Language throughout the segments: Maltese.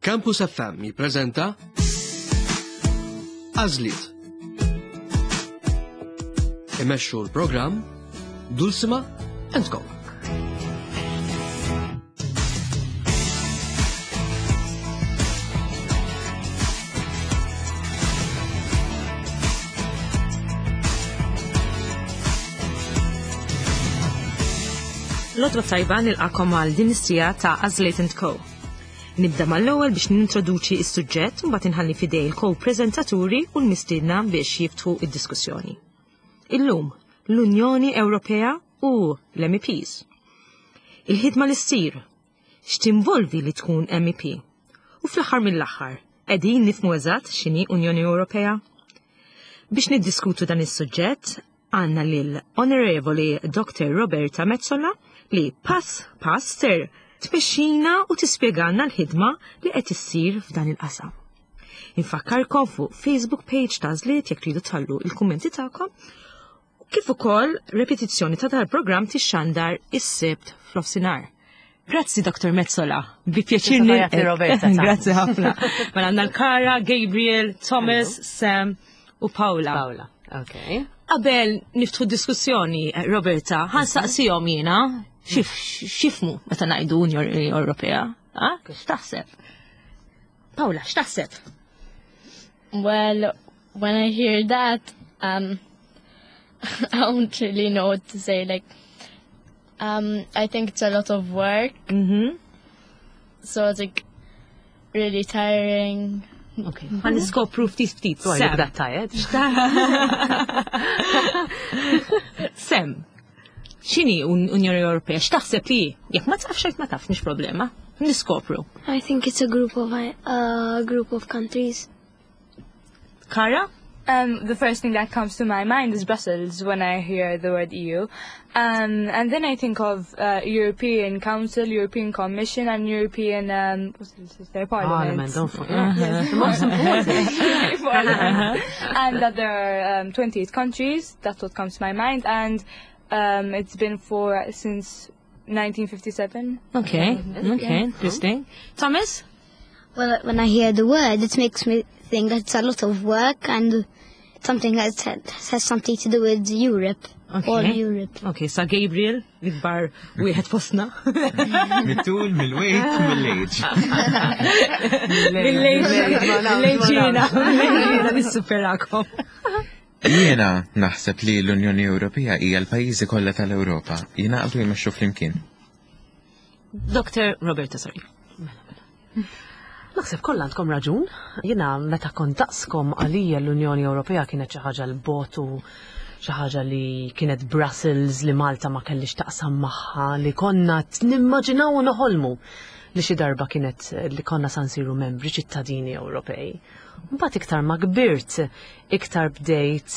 Campus FM jippreżenta Għażliet. Imexxu l-programm Dulcima and Co. L-għodwa tajba nilqakom għal din is-sija ta' Azlate and Co. Nibda mal-ewwel biex nintroduċi s-suġġett u mbagħad inħalli fidej il-ko-preżentaturi u l-mistiedna biex jiftħu id-diskussjoni. Illum, l-Unjoni Ewropea u l-MEPs. Il-ħidma li ssir, x'tinvolvi li tkun MEP? U fl-aħħar mill-aħħar, qegħdin nifhmu eżatt x'inhi Unjoni Ewropea? Biex niddiskutu dan is-suġġett, għandna lil Onorevoli Dr. Roberta Metsola li pass pass ser tmexxina u tispjegalna l-ħidma li qed issir f'dan il-qasam. Infakkarkom fuq Facebook page ta' Żliet jekk tridu tħallu il-kummenti tagħkom kif ukoll repetizzjoni ta' dal-programm tixxandar is-Sibt f'nofsinhar. Grazzi Dr. Metsola, bi pjaċir nilqek. Roberta. Grazzi ħafna. Mela għandna l-Kara, Gabriel, Thomas, Sam u Paula. Paola, okay. Qabel niftħu diskussjoni, Roberta, ħansaqsihom jiena xifmu meta ngħidu Unjoni Ewropea. X'taħseb? Paula, x'taħseb? Well, when I hear that, um, I don't really know what to say. Like, um, I think it's a lot of work. Mm-hmm. So it's like really tiring. Okay. Għan niskopru ftit ftit. So I look that tired. Sem, xini Unjoni Ewropea? X'taħseb li? Jekk ma tafx jekk ma tafx mhix problema. Niskopru. I think it's a group of uh, group of countries. Kara? Um, the first thing that comes to my mind is Brussels when I hear the word EU. Um, and then I think of uh, European Council, European Commission, and European um, what's this, their Parliament, Parliament. don't forget. The most important. Parliament. and that there are um, 28 countries. That's what comes to my mind. And um, it's been for since 1957. Okay, okay, interesting. Thomas? Well, when I hear the word, it makes me think that it's a lot of work and something that has something to do with Europe. Okay. All Europe. Okay, sa Gabriel, l-ikbar wieħed fostna. Mit-tul, mill-weight, mill-age. Mill-lejġina, mill-lejġina nissuperakom. Jiena naħseb li l-Unjoni Ewropea hija l-pajjiżi kollha tal-Ewropa jingħaqdu jmexxu flimkien. Dr. Roberta, sorry. Naħseb kollha għandkom raġun. Jiena meta kont daqskom għalija l-Unjoni Ewropea kienet xi ħaġa l-botu xi ħaġa li kienet Brussels li Malta ma kellix taqsam magħha li konna nimmaġinaw u noħolmu li xi darba kienet li konna sa nsiru membri ċittadini Ewropej. Mbagħad iktar ma kbirt, iktar bdejt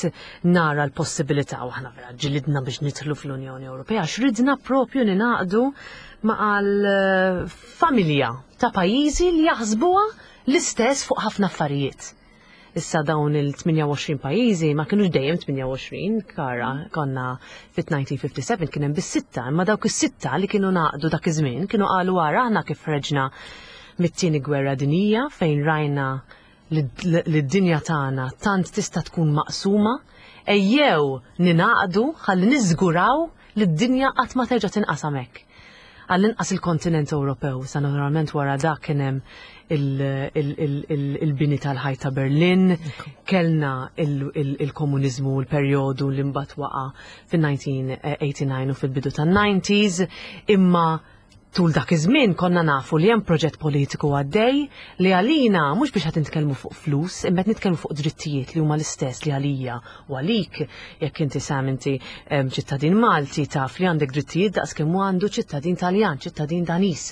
nara l-possibilità u aħna vera ġilidna biex nidħlu fl-Unjoni Ewropea għax ridna propju ninaqdu ma' familja ta' pajjiżi li jaħsbuha l-istess fuq ħafna affarijiet. Issa dawn il-28 pajjiżi ma kienux dejjem 28, kara, konna fit-1957 kien hemm bis-sitta, imma dawk is-sitta li kienu naqdu dak iż-żmien kienu qalu wara aħna kif ħreġna mit-tieni gwerra dinija fejn rajna li d-dinja tagħna tant tista' tkun maqsuma, ejjew ninaqdu ħalli niżguraw li d-dinja qatt ma terġa' tinqasam hekk. Għall-inqas il-kontinent Ewropew, sa naturalment wara dak kien hemm il-bini tal-ħajt ta' Berlin, kellna il-komuniżmu l-perjodu li mbagħad waqa' fin-1989 u fil-bidu tan-90s, imma tul dak iż-żmien konna nafu li hemm proġett politiku għaddej li għalina mhux biex qed nitkellmu fuq flus, imma qed nitkellmu fuq drittijiet li huma l-istess li għalija u għalik jekk inti Sam inti ċittadin Malti taf li għandek drittijiet daqs kemm għandu ċittadin Taljan, ċittadin Danis.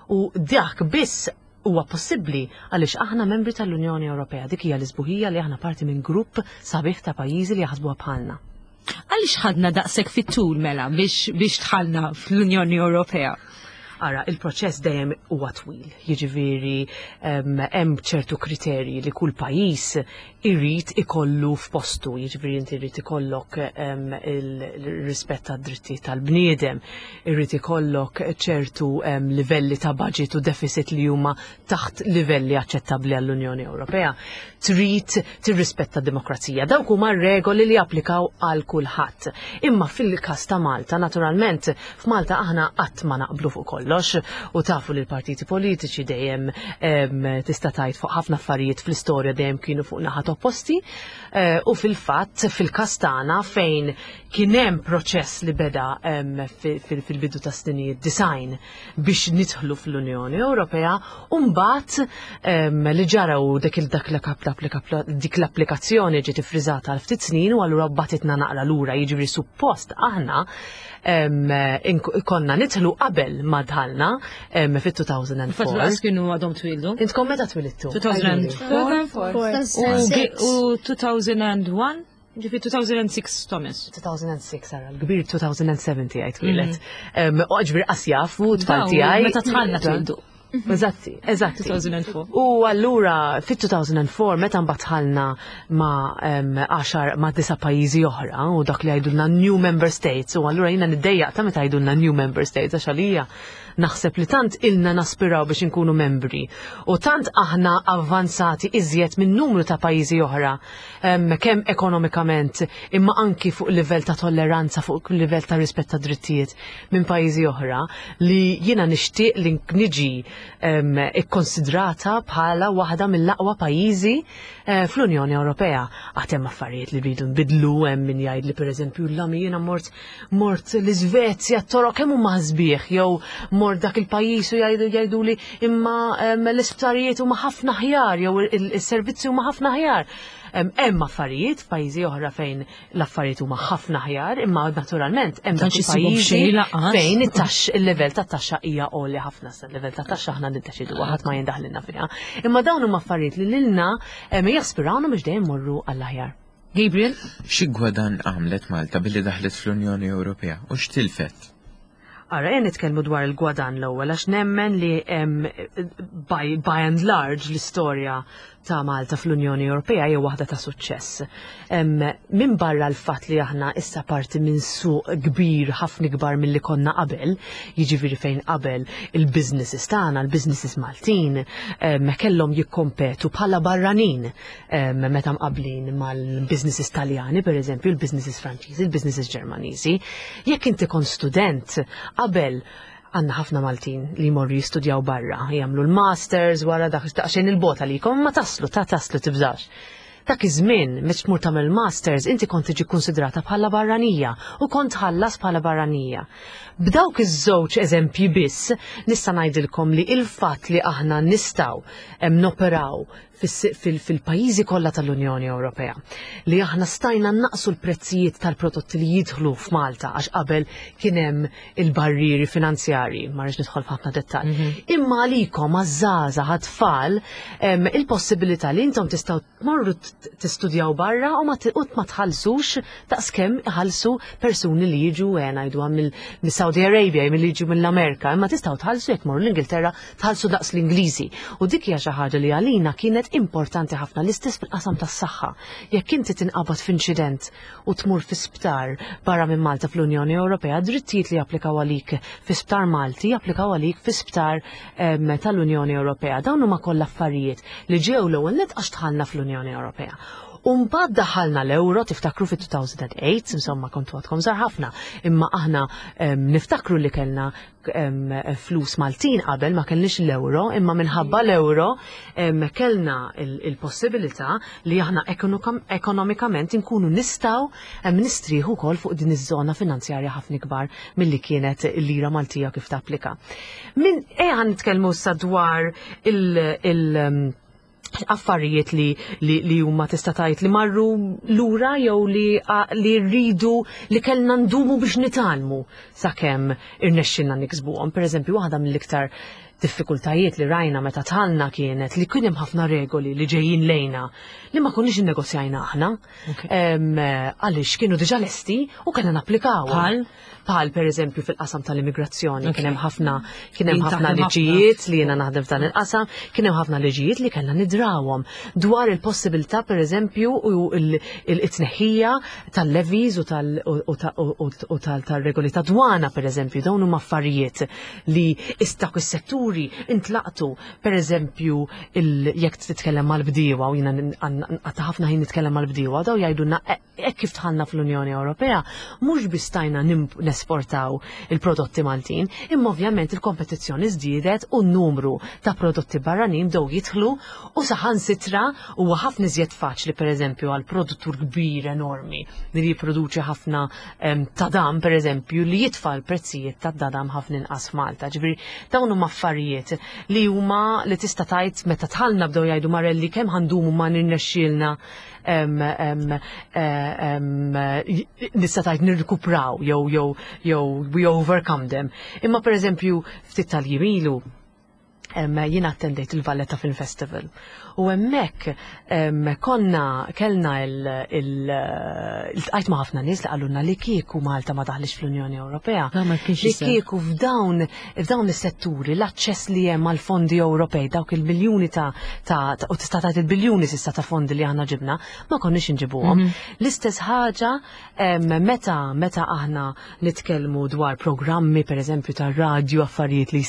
U dak biss huwa possibbli għaliex aħna membri tal-Unjoni Ewropea. Dik hija l-isbuħija li aħna parti minn grupp sabiħ ta' pajjiżi li jaħsbuha bħalna. Għaliex ħadna daqshekk fit-tul mela biex, biex dħalna fl-Unjoni Ewropea? Ara, il-proċess dejjem huwa twil, jiġifieri hemm ċertu kriterji li kull pajjiż irid ikollu f'postu, jiġifieri inti jrid ikollok il-rispett tad-drittijiet tal-bniedem, irid ikollok ċertu livelli ta' budget u deficit li huma taħt livelli aċċettabbli għall-Unjoni Ewropea. Trid tirrispetta d-demokrazija. Dawk huma regoli li japplikaw għal kulħadd. Imma fil-każ ta' Malta, naturalment, f'Malta aħna qatt ma naqblu fuq kollox u tafu li l-partiti politiċi dejjem tista' tgħid fuq ħafna affarijiet fl-istorja dejjem kienu fuq naħat opposti eh, u fil-fatt fil-każ tagħna fejn kien hemm proċess li beda fil-bidu ta' snin design biex nidħlu fl-Unjoni Ewropea u mbagħad li ġara u dik dak dik l-applikazzjoni ġiet iffriżata għal ftit snin u allura batitna naqra lura jiġifieri suppost aħna konna nidħlu qabel ma dħalna fit-2004. Fatt kienu għadhom twildu. Intkom meta twilidtu? 2004. U 2001? Ġifi 2006 Thomas. 2006 ara, l-kbir 2007 tiegħi twieled. Mhm. U ġbir qasjaf u tfal tiegħi. Meta tħallna twildu. Eżatti, eżatti. 2004. U allura fit-2004 meta mbagħad ħalna ma' 10 ma' disa' pajjiżi oħra u dak li jgħidulna new member states u allura jiena niddejjaq ta' meta jgħidulna new member states għax għalija naħseb li tant ilna naspiraw biex inkunu membri u tant aħna avvanzati iżjed minn numru ta' pajjiżi oħra kemm ekonomikament imma anki fuq livell ta' tolleranza, fuq livell ta' rispett ta' drittijiet minn pajjiżi oħra li jiena nixtieq li niġi ikkonsidrata bħala waħda mill-aqwa pajjiżi eh, fl-Unjoni Ewropea. Għad hemm affarijiet li rridu nbidlu hemm min jgħid li pereżempju l-lami jiena mort mort l-Iżvezja t-toroq kemm huma sbieħ jew mort dak il-pajjiż u jgħidu jgħiduli imma l-isptarijiet huma ħafna aħjar jew is-servizzi huma ħafna aħjar. Hemm affarijiet f'pajjiżi oħra fejn l-affarijiet huma ħafna aħjar, imma naturalment hemm dawk il-pajjiżi fejn it-tax il-livell tat-taxxa hija għoli ħafna sa l-livell tat-taxxa aħna niddeċidu ħadd ma jindaħlilna fiha. Imma dawn huma affarijiet li lilna jaspirawna biex dejjem morru għall-aħjar. Gabriel? Xi gwadann għamlet Malta billi daħlet fl-Unjoni Ewropea u x'tilfet? Ara, ejja nitkellmu dwar il-gwadann l-ewwel għax nemmen li by, by and large l-istorja ta' Malta fl-Unjoni Ewropea hija waħda ta' suċċess. Minn barra l-fatt li aħna issa parti minn suq kbir ħafna ikbar milli konna qabel, jiġifieri fejn qabel il-businesses tagħna, il-businesses Maltin, kellhom jikkompetu bħala barranin meta mqablin mal-businesses Taljani, per eżempju, il-businesses Franċiżi, il-businesses Ġermaniżi. Jekk inti kont student qabel għandna ħafna Maltin li jmorru jistudjaw barra, jagħmlu l-masters wara dak daqsxejn il-bota li jkom ma taslu, ta' taslu tibżax. Dak iż-żmien meta tmur tagħmel masters inti kont tiġi konsidrata bħala barranija u kont tħallas bħala barranija. B'dawk iż-żewġ eżempji biss nista' ngħidilkom li il-fatt li aħna nistgħu noperaw fil-pajjiżi kollha tal-Unjoni Ewropea li aħna stajna naqsu l-prezzijiet tal-prodotti li jidħlu f'Malta għax qabel kien hemm il-barrieri finanzjarji, ma rridx nidħol f'ħafna dettall. Mhm. Imma għalikom għaż-żgħażagħ għat-tfal il-possibilità li intom tistgħu tmorru tistudjaw barra u ma tħallsux daqskemm iħallsu persuni li jiġu eh, ngħidu mill-Saudi Arabia, milli jiġu mill-Amerika, imma tistgħu tħallsu jekk morru l-Ingilterra tħallsu daqs l-Ingliżi. U dik hija xi ħaġa li għalina kienet importanti ħafna l-istess fil-qasam tas-saħħa. Jekk inti tinqabad f'inċident u tmur fi sptar barra minn Malta fl-Unjoni Ewropea, drittijiet li japplikaw għalik fi sptar Malti japplikaw għalik fi sptar ehm, tal-Unjoni Ewropea. Dawn huma kollha affarijiet li ġew l-ewwel nett għax dħalna fl-Unjoni Ewropea. Umbad daħalna l-euro, tiftakru fit-2008, insomma kontu għadkom żgħar ħafna, imma aħna ehm, niftakru li kellna flus Maltin qabel ma kellniex l-euro, imma minħabba l-euro kellna il-possibilità li aħna ekonomikament inkunu nistgħu nistrieħu wkoll fuq din iż-żona finanzjarja ħafna ikbar milli kienet il-lira Maltija kif tapplika. Min ejja nitkellmu issa dwar il- affarijiet li, li, li huma tista' tgħid li marru lura jew li, li rridu li kellna ndumu biex nitgħallmu sakemm irnexxinna niksbuhom. Pereżempju, waħda mill-iktar Diffikultajiet li rajna meta dħalna kienet li kien hemm ħafna regoli li ġejjin lejna li ma konniex innegozjajna aħna. Għaliex kienu diġà lesti u kellna napplikaw. Bħal? Bħal per eżempju fil-qasam tal-immigrazzjoni kien hemm ħafna Taħdem ħafna. liġijiet li jiena naħdem f'dan il-qasam, kien hemm ħafna liġijiet li kellna nidrawhom dwar il-possibilità, per eżempju, u il-tneħħija tal-levies u tal-regoli ta' dwana, per eżempju, dawn huma affarijiet li istak is-setturi intlaqtu. Per eżempju, jekk titkellem mal-bdiewa, u jiena għatta ħafna ħin nitkellem mal-bdiewa, daw jgħidulna hekk kif dħalna fl-Unjoni Ewropea, mhux biss stajna nesportaw il-prodotti Maltin, imma ovvjament il-kompetizzjoni żdiedet u n-numru ta' prodotti barranin bdew jidħlu u saħansitra huwa ħafna iżjed faċli, pereżempju, għal produttur kbir enormi li jipproduċi ħafna tadam, pereżempju, li jitfa' l-prezzijiet ta' tadam ħafna inqas f'Malta. Ġifieri dawn huma affarijiet li huma li tista' tgħid meta dħalna bdew jgħidu Marelli, kemm ħa ndumu ma nirnexxielna nista' tgħid nirkupraw jew we overcome them. Imma pereżempju ftit tal-jiem ilu jiena attendejt il-Valletta Film Festival. U hemmhekk konna kellna il-tqajt ma' ħafna nies li qalulna li kieku Malta ma daħlix fl-Unjoni Ewropea. Da ma kienx Li iseħħ. kieku f'dawn is-setturi l-aċċess li hemm għal fondi Ewropej, dawk il-miljuni ta' u tista' tgħid il-biljuni s'issa ta' fondi li aħna ġibna, ma konniex inġibuhom. L-istess ħaġa meta aħna nitkellmu dwar programmi, pereżempju, tar-radju, affarijiet li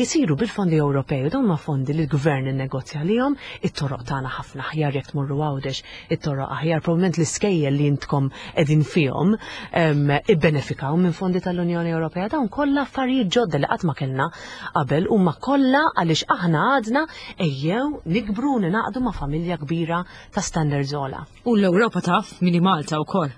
jisiru bil-fondi Ewropej, u dawn ma fondi li l-gvern innegozja lihom. It-toroq tagħna ħafna aħjar, jekk tmorru Għawdex, it-toroq aħjar, probabbilment l-iskejjel li intkom qegħdin fihom ibbenefikaw minn fondi tal-Unjoni Ewropea. Dawn kollha affarijiet ġodda li qatt ma kellna qabel, huma kollha għaliex aħna għadna ejjew nikbru, ningħaqdu ma' familja kbira ta' standards ogħla. U l-Ewropa taf min hi Malta wkoll.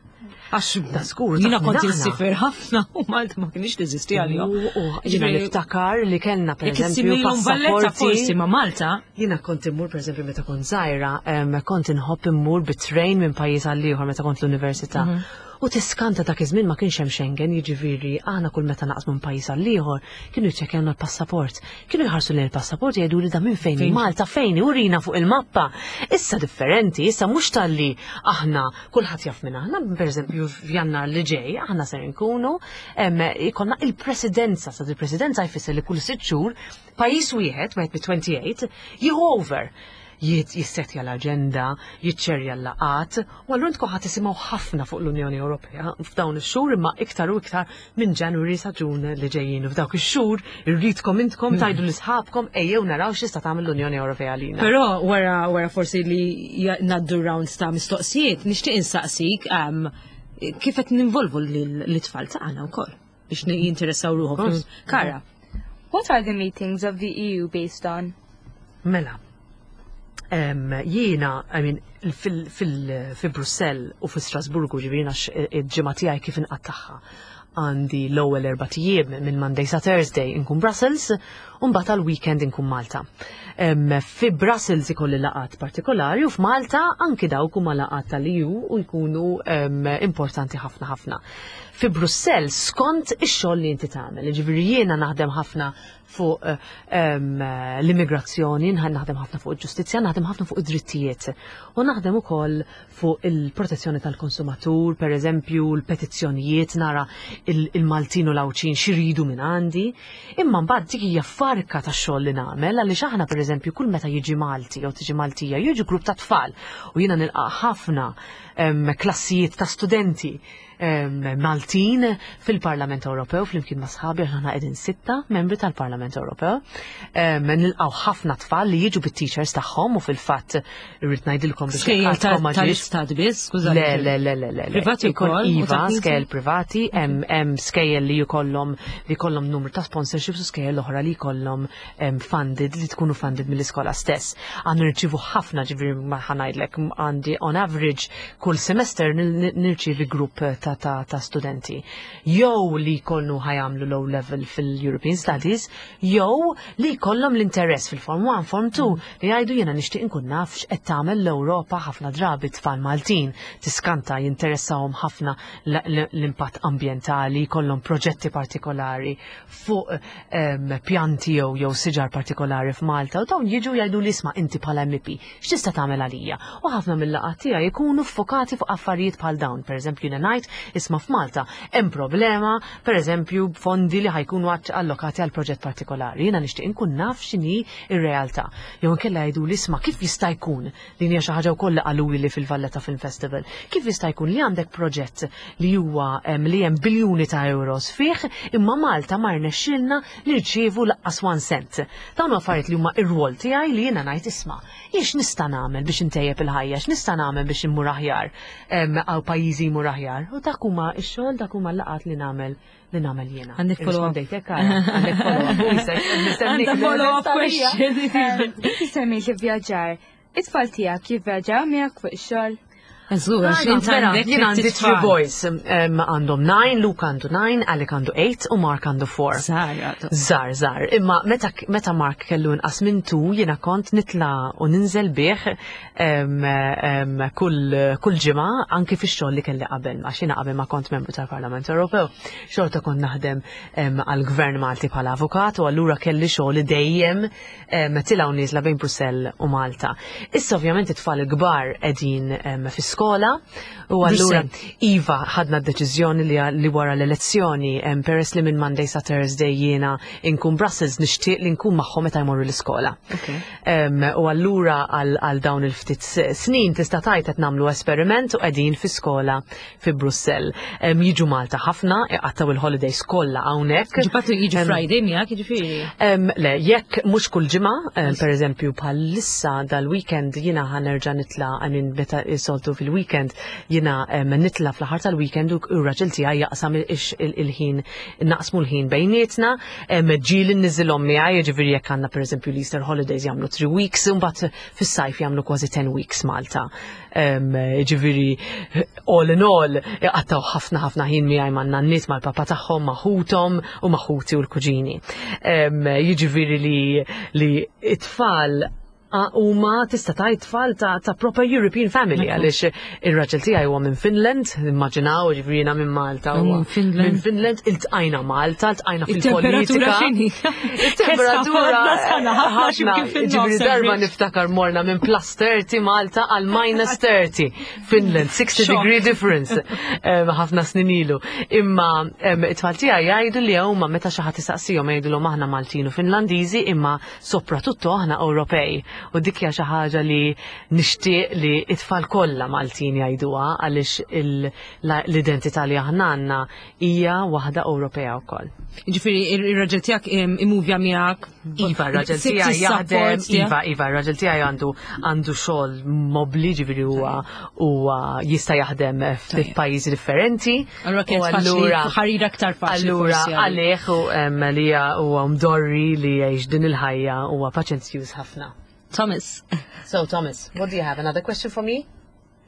Għax Da żgur, jiena taf kont min aħna. insiefer ħafna u Malta ma kienx teżisti għalihom. U jiena niftakar li kellna, per Jekk eżempju, issimilhom Valletta forsi passaporti. ma' Malta, Jiena kont immur, per eżempju, meta kont żgħira, kont inħobb immur bit-train minn pajjiż għal ieħor meta kont l-università. U tiskanta, dak iż-żmien ma kienx hemm Schengen, jiġifieri aħna kull meta naqsmu minn pajjiż għal ieħor kienu jiċċekkjawna l-passaport. Kienu jħarsu lejn il-passaport, jgħidu li da minn fejn Fejn? Malta fejn, urina fuq il-mappa. Issa differenti, issa mhux talli aħna kulħadd jaf minn aħna, pereżempju f'Jannar li ġej aħna ser nkunu ikollna il-presidenza, sa il-presidenza jfisser li kull 6 xhur pajjiż wieħed, wieħed mit-28, jieħu over, jissetja l-agenda, jiċċerja l-laqat, u allura intkom ħa tisimgħu ħafna fuq l-Unjoni Ewropea f'dawn ix-xhur, imma iktar u iktar minn January sa Ġun li ġejjin. F'dawk ix-xhur irridkom intkom tgħidu lil sħabkom, ejjew naraw x'tista' tagħmel l-Unjoni Ewropea lina. Però wara forsi li ngħaddu rounds ta' mistoqsijiet, nixtieq insaqsik kif qed ninvolvu l-tfal tagħna wkoll biex jinteressaw ruħhom. Course. Kara, What are the meetings of the EU based on? Mela, jiena, I mean, fi Brussell u fi Strasburgu, ġifieri għax il-ġimgħa tiegħi kif inqattagħha, għandi l-ewwel 4 ijiem minn Monday sa Thursday inkun Brussels u mbagħad għal-weekend inkun Malta. Fi Brussels ikolli laqat partikolari u f'Malta anki dawk huma laqat tal-EU u jkunu importanti ħafna ħafna. Fi Brussell skont ix-xogħol li inti tagħmel, ġifieri jiena naħdem ħafna fuq l-immigrazzjoni, naħdem ħafna fuq il-ġustizzja, naħdem ħafna fuq id-drittijiet. U naħdem ukoll fuq il-protezzjoni tal-konsumatur, per eżempju, l-petizzjonijiet, nara il-Maltin u l-Għawdxin x'iridu minn għandi. Imma mbagħad dik hija farka ta' xogħol li nagħmel, għaliex aħna, per eżempju, kull meta jiġi Malti jew tiġi Maltija, jiġi grupp ta' tfal u jiena nilqa' ħafna klassijiet ta' studenti Maltin fil-Parlament Ewropew flimkien ma' sħabi, għax aħna qegħdin sitta membri tal-Parlament Ewropew. Nilqgħu ħafna tfal li jiġu bit-teachers tagħhom u fil-fatt irrid ngħidilkom biex Skejjel għadkom ma ġiex- tal-istat biss, skużani. Le, le, le, le, le. le. Privati Ikun wkoll, u Iva, ta' knisja? skejjel privati, hemm skejjel li jkollhom numru ta' sponsorships u skejjel oħra li jkollhom funded, li tkunu funded mill-iskola stess. Għandu nirċivu ħafna, ġifieri ma ħa ngħidlek, għandi on average kull semester nirċivi grupp ta' ta', ta, ta studenti. Jew li jkunu ħa jagħmlu low level fil-European Studies, jew li jkollhom l-interess fil-Form 1, Form 2, li jgħidu jiena nixtieq inkun naf x'qed tagħmel l-Ewropa. Ħafna drabi tfal Maltin tiskanta jinteressahom ħafna l-impatt ambjentali, jkollhom proġetti partikolari fuq pjanti jew siġar partikolari f'Malta u dawn jiġu jgħidu li isma' inti bħala MEP, x'tista' tagħmel għalija? U ħafna mill-laqgħat tiegħi jkunu ffokati fuq affarijiet bħal dawn. Pereżempju jiena ngħid isma' f'Malta hemm problema, pereżempju b'fondi li ħa jkunu allokati għal proġett partikolari. Jiena nixtieq inkun naf x'inhi r-realtà. Jew inkella jgħidu li isma' kif jista' jkun, din hija xi ħaġa wkoll li qaluli fil-Valletta Film Festival, kif jista' jkun li għandek proġett li huwa li hemm biljuni ta' euros fih, imma Malta ma rnexxilna nirċievu laqqas 1 cent. Dawn affarijiet li huma ir-rwol tiegħi li jiena ngħid isma' jien x'nista' nagħmel biex intejjeb il-ħajja, x'nista' nagħmel biex immur aħjar, għaw pajjiżi jmur aħjar. U dak huma x-xogħol, dak huma l-laqgħat li nagħmel jiena. Għandek follow-up. Rispondejtek, Kara? Għandek follow-up. Għandek follow-up question. Inti semmejt li vjaġġar. It-tfal tiegħek jivvjaġġaw miegħek fuq ix-xogħol? Żgur, għax int Mela, għandek jien għandi tliet three tfal. boys. Għandhom 9, Luke għandu 9, Alec għandu 8 u Mark għandu 4. Żgħar għadu. Żgħar, żgħar. Imma meta Mark kellu inqas minn 2, jiena kont nitla u ninżel bih kull ġimgħa anki fix-xogħol li kelli qabel, għax jiena qabel ma kont membru tal-Parlament Ewropew, xorta kont naħdem għall-Gvern Malti bħala avukat u allura kelli xogħol dejjem tilgħu niżla bejn Brussell u Malta. Issa ovvjament it-tfal il-kbar qegħdin fi skola u allura Brussell. Iva ħadna d-deċiżjoni li wara l-elezzjoni, peress li minn Monday sa Thursday jiena inkun Brussels, nixtieq li nkun magħhom meta jmorru l-iskola. U allura għal dawn il-ftit snin tista' tgħid qed nagħmlu esperiment u qegħdin fi skola fi Brussell. Jiġu Malta ħafna, iqattaw il-holidays kollha hawnhekk. Ġibatu jiġu Friday miegħek, jiġifieri. Le, jekk mhux kull ġimgħa, pereżempju bħalissa dal-weekend jiena ħa nerġa' nitla', I mean, meta soltu fil-weekend jiena nitla' fl-aħħar tal-weekend u r-raġel tiegħi jaqsam il-ħin, naqsmu l-ħin bejnietna, ġieli nniżilhom miegħi, jiġifieri jekk għandna pereżempju l-Easter holidays jagħmlu 3 weeks, u mbagħad fis-sajf jagħmlu kważi 10 weeks Malta. Jiġifieri all in all iqattaw ħafna ħafna ħin miegħi ma' nanniet, mal-papa tagħhom, ma' ħuthom u ma' ħuti u l-kuġini. Jiġifieri li it-tfal huma tista' tgħid tfal ta' proper European family, għaliex ir-raġel tiegħi huwa minn Finland, immaġinaw, jiġifieri jiena minn Malta, huwa Minn Finland. Minn Finland, iltqajna Malta, iltqajna Il-temperatura fil-politika. x'inhi? Il-temperatura Ħafna, ħafna, x'imkien ħafna, fin-nofs jiġifieri darba average. niftakar morna minn plus 30 Malta għal minus 30 Finland, 60 Shock. degree difference. Ħafna snin ilu. Imma it-tfal tiegħi jgħidu li huma meta xi ħadd isaqsihom jgħidulhom aħna Maltin u Finlandiżi imma soprattutto aħna Ewropej. U dik hija xi ħaġa li nixtieq li it-tfal kollha Maltin jgħiduha għaliex l-identità li aħna għandna hija waħda Ewropea wkoll. Jiġifieri ir-raġel tiegħek imuvja miegħek? Iva, r-raġel Sibt tiegħi is-support jaħdem, tiegħek? iva, iva, r-raġel tiegħi għandu xogħol mobbli, ġifieri huwa jista' jaħdem f'pajjiżi differenti. Allura kienet U faċli, ħarira aktar faċli Allura forsi għalik. għalih u li huwa mdorri li jgħix din il-ħajja huwa paċenzjuż ħafna. Thomas. So Thomas, what do you have? Another question for me?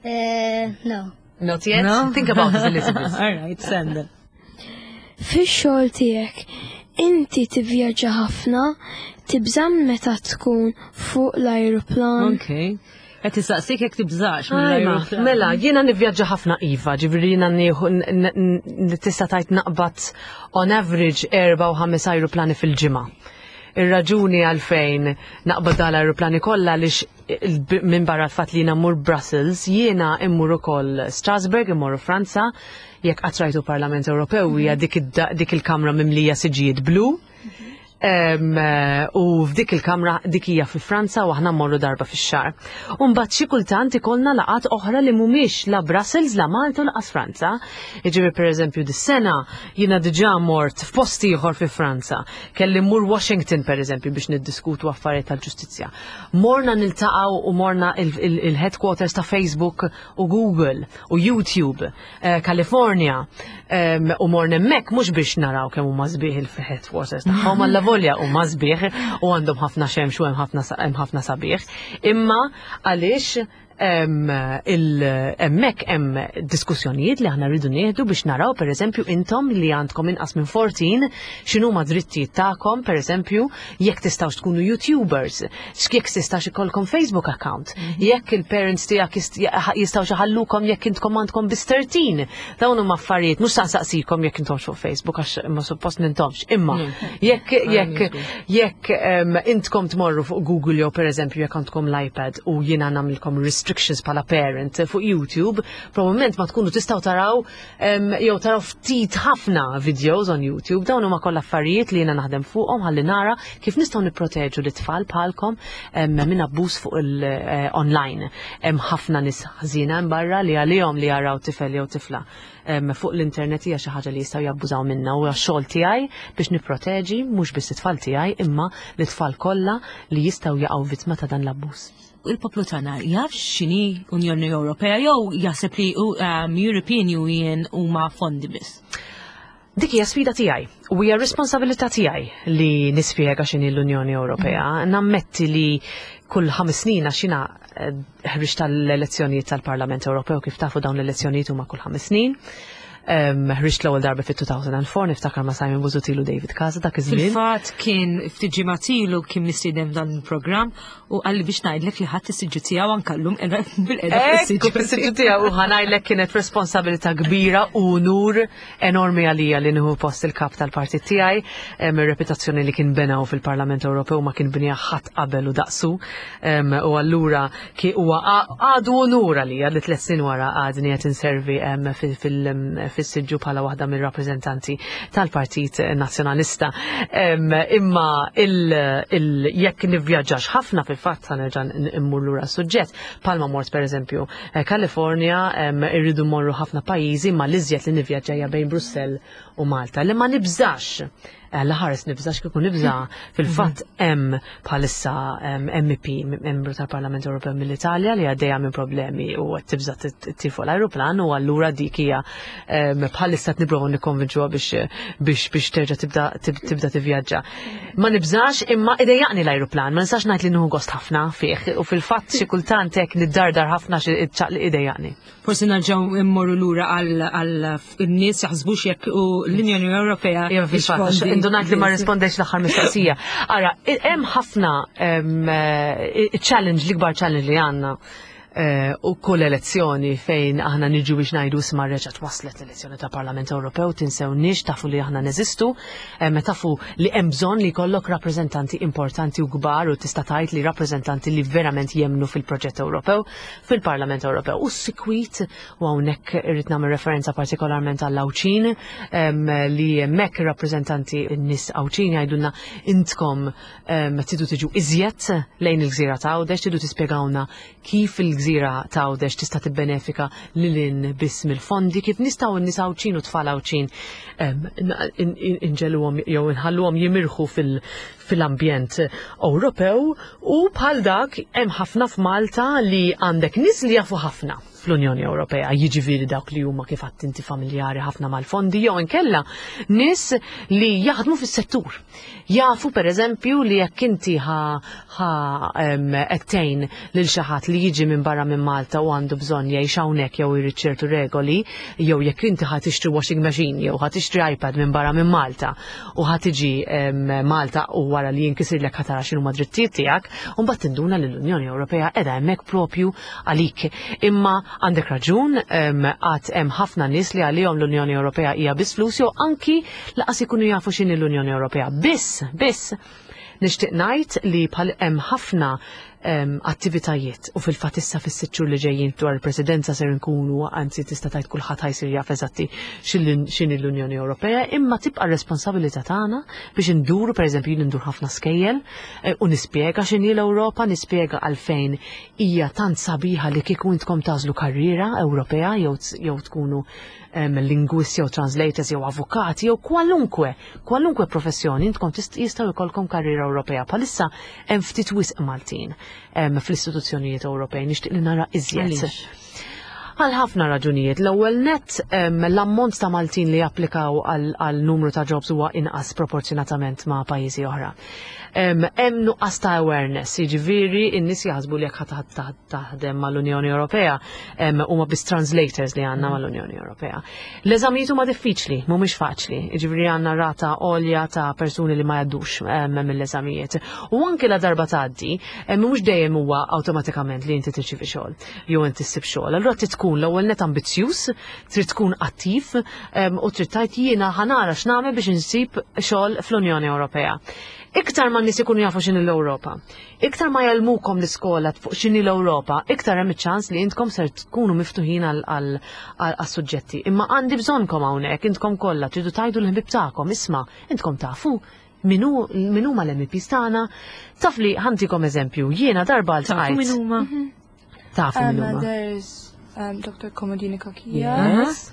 No. Not yet? No? Think about it a little bit. All right, send it. Fix-xogħol tiegħek, inti tivvjaġġa ħafna, tibża' meta tkun fuq l-ajruplan. Okay. Qed tistaqsik jekk tibżax Ajma, mill-ajruplan. Mela, jiena nivvjaġġa ħafna iva, ġifieri jiena nieħu tista' tgħid naqbad on average 4 u 5 ajruplani fil-ġimgħa. Ir-raġuni għalfejn naqbad dal-ajruplani kollha għaliex minn barra l-fatt li jiena mmur Brussels, jiena immur ukoll Strasbourg, immorru Franza, jekk qatt rajtu Parlament Ewropew hija dik il-kamra mimlija siġijiet blu. U f'dik il-kamra dik hija fi Franza u aħna mmorru darba fix-xahar. U mbagħad xi kultant ikollna laqgħat oħra li mhumiex la Brussels, la Malta u laqas Franza. Jiġifieri pereżempju dis-sena jiena diġà mort f'post ieħor fi Franza. Kelli mmur Washington pereżempju biex niddiskutu affarijiet tal-ġustizzja. Morna niltaqgħu u morna il-headquarters ta' Facebook u Google u YouTube, California, u morna hemmhekk mhux biex naraw kemm huma sbieħ il-headquarters tagħhom, alla volja huma sbieħ u għandhom ħafna xemx u hemm ħafna sabiħ. Imma għaliex Hemmhekk hemm diskussjonijiet li aħna rridu nieħdu biex naraw pereżempju intom li għandkom inqas minn 14 x'inhuma drittijiet tagħkom pereżempju jekk tistgħux tkunu YouTubers, jekk tistax ikollkom Facebook account, jekk il-parents tiegħek jistgħux iħallukom jekk intkom għandkom biss 13. Dawn huma affarijiet mhux saqsikom jekk intomx fuq Facebook għax ma suppost nintomx, imma jekk jekk jekk intkom tmorru fuq Google jew pereżempju jekk għandkom l-iPad u jiena nagħmilkom restrictions bħala parent fuq YouTube, probabbilment ma tkunu tistgħu taraw jew taraw ftit ħafna videos on YouTube. Dawn huma kollha affarijiet li jiena naħdem fuqhom ħalli nara kif nistgħu nipproteġu l-itfal bħalkom minn abbuż fuq il-online. Hemm ħafna nies ħażina hemm barra li għalihom li jaraw tifel jew tifla fuq l-internet hija xi ħaġa li jistgħu jabbużaw minnha u xogħol tiegħi biex nipproteġi mhux biss it-tfal tiegħi imma l-itfal kollha li jistgħu jaqgħu vittma ta' dan l-abbuż. Il-poplu tagħna jaf x'inhi Unjoni Ewropea jew jaħseb li European Union huma fondi biss? Dik hija sfida tiegħi u hija responsabilità tiegħi li nispjega x'inhi l-Unjoni Ewropea. Nammetti li kull 5 snin, għax jiena ħriġt tal-elezzjonijiet tal-Parlament Ewropew, kif tafu dawn l-elezzjonijiet huma kull 5 snin. Ħriġt l-ewwel darba fit-2004, niftakar ma' Simon Busuttil u David Casa dak iż-żmien. Fil-fatt kien ftit ġimgħat ilu kien mistieden dan il-programm u qalli biex ngħidlek li ħadd is-siġġu tiegħu anke llum qiegħda bilqiegħda Ekku fis-siġġu tiegħu u ħa ngħidlek kienet responsabilità kbira u unur enormi għalija li nieħu post il-kap tal-partit tiegħi, ir-reputazzjoni li kien benaw fil-Parlament Ewropew ma kien binija ħadd qabel u daqsu. U allura ki huwa għadu unur għalija li 3 snin wara għadni qed inservi fis-siġġu bħala waħda mir-rappreżentanti tal-Partit Nazzjonalista. Imma jekk nivvjaġġax ħafna, fil-fatt ħa nerġa' immur lura suġġett, palma mort pereżempju California, irridu morru ħafna pajjiżi, ma l-iżjed li nivvjaġġa hija bejn Brussell u Malta. Li ma nibżax, la ħares nibżax, kieku nibża fil-fatt hemm bħalissa MEP, membru tal-Parlament Ewropew mill-Italja li għaddejja minn problemi u qed tibża ttir fuq l-ajruplan u allura dik hija bħalissa qed nipprovaw nikkonvinċuha biex terġa' tibda tivvjaġġa. Ma nibżax imma idejjaqni l-ajruplan, ma nistax ngħid li nieħu gost ħafna fih u fil-fatt xi kultant hekk niddardar ħafna xi ċaqli idejjaqni. Forsi nerġgħu immorru lura għal n-nies jaħsbux jekk u l-Unjoni Ewropea. Iva, fil-fatt, indunajt li ma rispondejx l-aħħar mistoqsija. Ara, hemm ħafna challenge, l-ikbar challenge li għandna u kull elezzjoni fejn aħna niġu biex ngħidu isma' reġgħet waslet l-elezzjoni ta' Parlament Ewropew, tinsewniex, tafu li aħna neżistu, tafu li hemm bżonn li jkollok rappreżentanti importanti u kbar u tista' tgħid li rappreżentanti li verament jemnu fil-proġett Ewropew fil-Parlament Ewropew. U sikwit u hawnhekk irrid nagħmel referenza partikolarment għall-Għawdxin li hemmhekk ir-rappreżentanti n-nies Għawdxin jgħidulna intkom tridu tiġu iżjed lejn il-gżira ta' Għawdex, tridu tispjegawna kif il-gżira ta' Għawdex tista' tibbenefika lil biss mill-fondi, kif nistgħu n-nies Għawdxin u tfal Għawdxin inġegħluhom jew inħalluhom jimirħu fil-ambjent Ewropew u bħal dak hemm ħafna f'Malta li għandek nies li jafu ħafna fl-Unjoni Ewropea, jiġifieri dawk li huma kif inti familjari ħafna mal-fondi jew inkella nies li jaħdmu fis-settur. Jafu per eżempju li jekk inti ħa qed lil xi ħadd li jiġi minn barra minn Malta u għandu bżonn jgħix hawnhekk jew irid ċertu regoli, jew jekk inti ħa tixtri washing machine jew ħa tixtri iPad minn barra minn Malta u ħa tiġi Malta u wara li jinkisirlek ħa tara x'inhuma drittijiet tiegħek, u mbagħad tinduna li l-Unjoni Ewropea qiegħda hemmhekk propju għalik. Imma għandek raġun, għad hemm ħafna nies li għalihom l-Unjoni Ewropea hija biss flus jew anki lanqas ikunu jafu x'inhi l-Unjoni Ewropea. Biss, biss, nixtieq ngħid li bħal hemm ħafna attivitajiet u fil-fatt issa fis-6 xhur li ġejjin dwar il-presidenza ser nkunu, anzi tista' tgħid kulħadd ħa jsir jaf eżatti x'inhi l-Unjoni Ewropea, imma tibqa' responsabilità tagħna biex induru, pereżempju jien indur ħafna skejjel u nispjega x'inhi l-Ewropa, nispjega għalfejn hija tant sabiħa li kieku intkom tagħżlu karriera Ewropea jew tkunu lingwisti jew translators jew avukati jew kwalunkwe professjoni intkom jistgħu jkollkom karriera Ewropea. Bħalissa hemm ftit wisq Maltin fl-istituzzjonijiet Ewropej, nixtieq li nara iżjed. Għaliex? Għal ħafna raġunijiet. L-ewwel net l-ammont ta' Maltin li japplikaw għal numru ta' jobs huwa inqas proporzjonatament ma' pajjiżi oħra. Hemm nuqqas ta' awareness, jiġifieri n-nies jaħsbu li jekk taħdem mal-Unjoni Ewropea huma biss translators li għandna mal-Unjoni Ewropea. L-eżamijiet huma diffiċli, mhumiex faċli, jiġifieri għandna rata għolja ta' persuni li ma jgħaddux mill-eżamijiet. U anke la darba tgħaddi, mhux dejjem huwa awtomatikament li inti tirċievi xogħol jew inti ssib xogħol. Allura trid tkun l-ewwel net ambizzjuż, trid tkun attiv u trid tgħid jiena ħa nara x'nagħmel biex insib xogħol fl-Unjoni Ewropea. Iktar ma n-nies ikunu jafu x'inhi l-Ewropa, iktar ma jgħallmukom l-iskola fuq x'inhi l-Ewropa, iktar hemm iċ-ċans li intkom ser tkunu miftuħin għal-suġġetti. Imma għandi bżonnkom hawnhekk, intkom kollha tridu tgħidu l-ħbieb tagħkom, isma' intkom tafu min huma l-MEPs tagħna. Taf li ħa ntikom eżempju, jiena darba Tafu min huma? Tafu min huma. There's Dr. Comodini Cachia. Yes.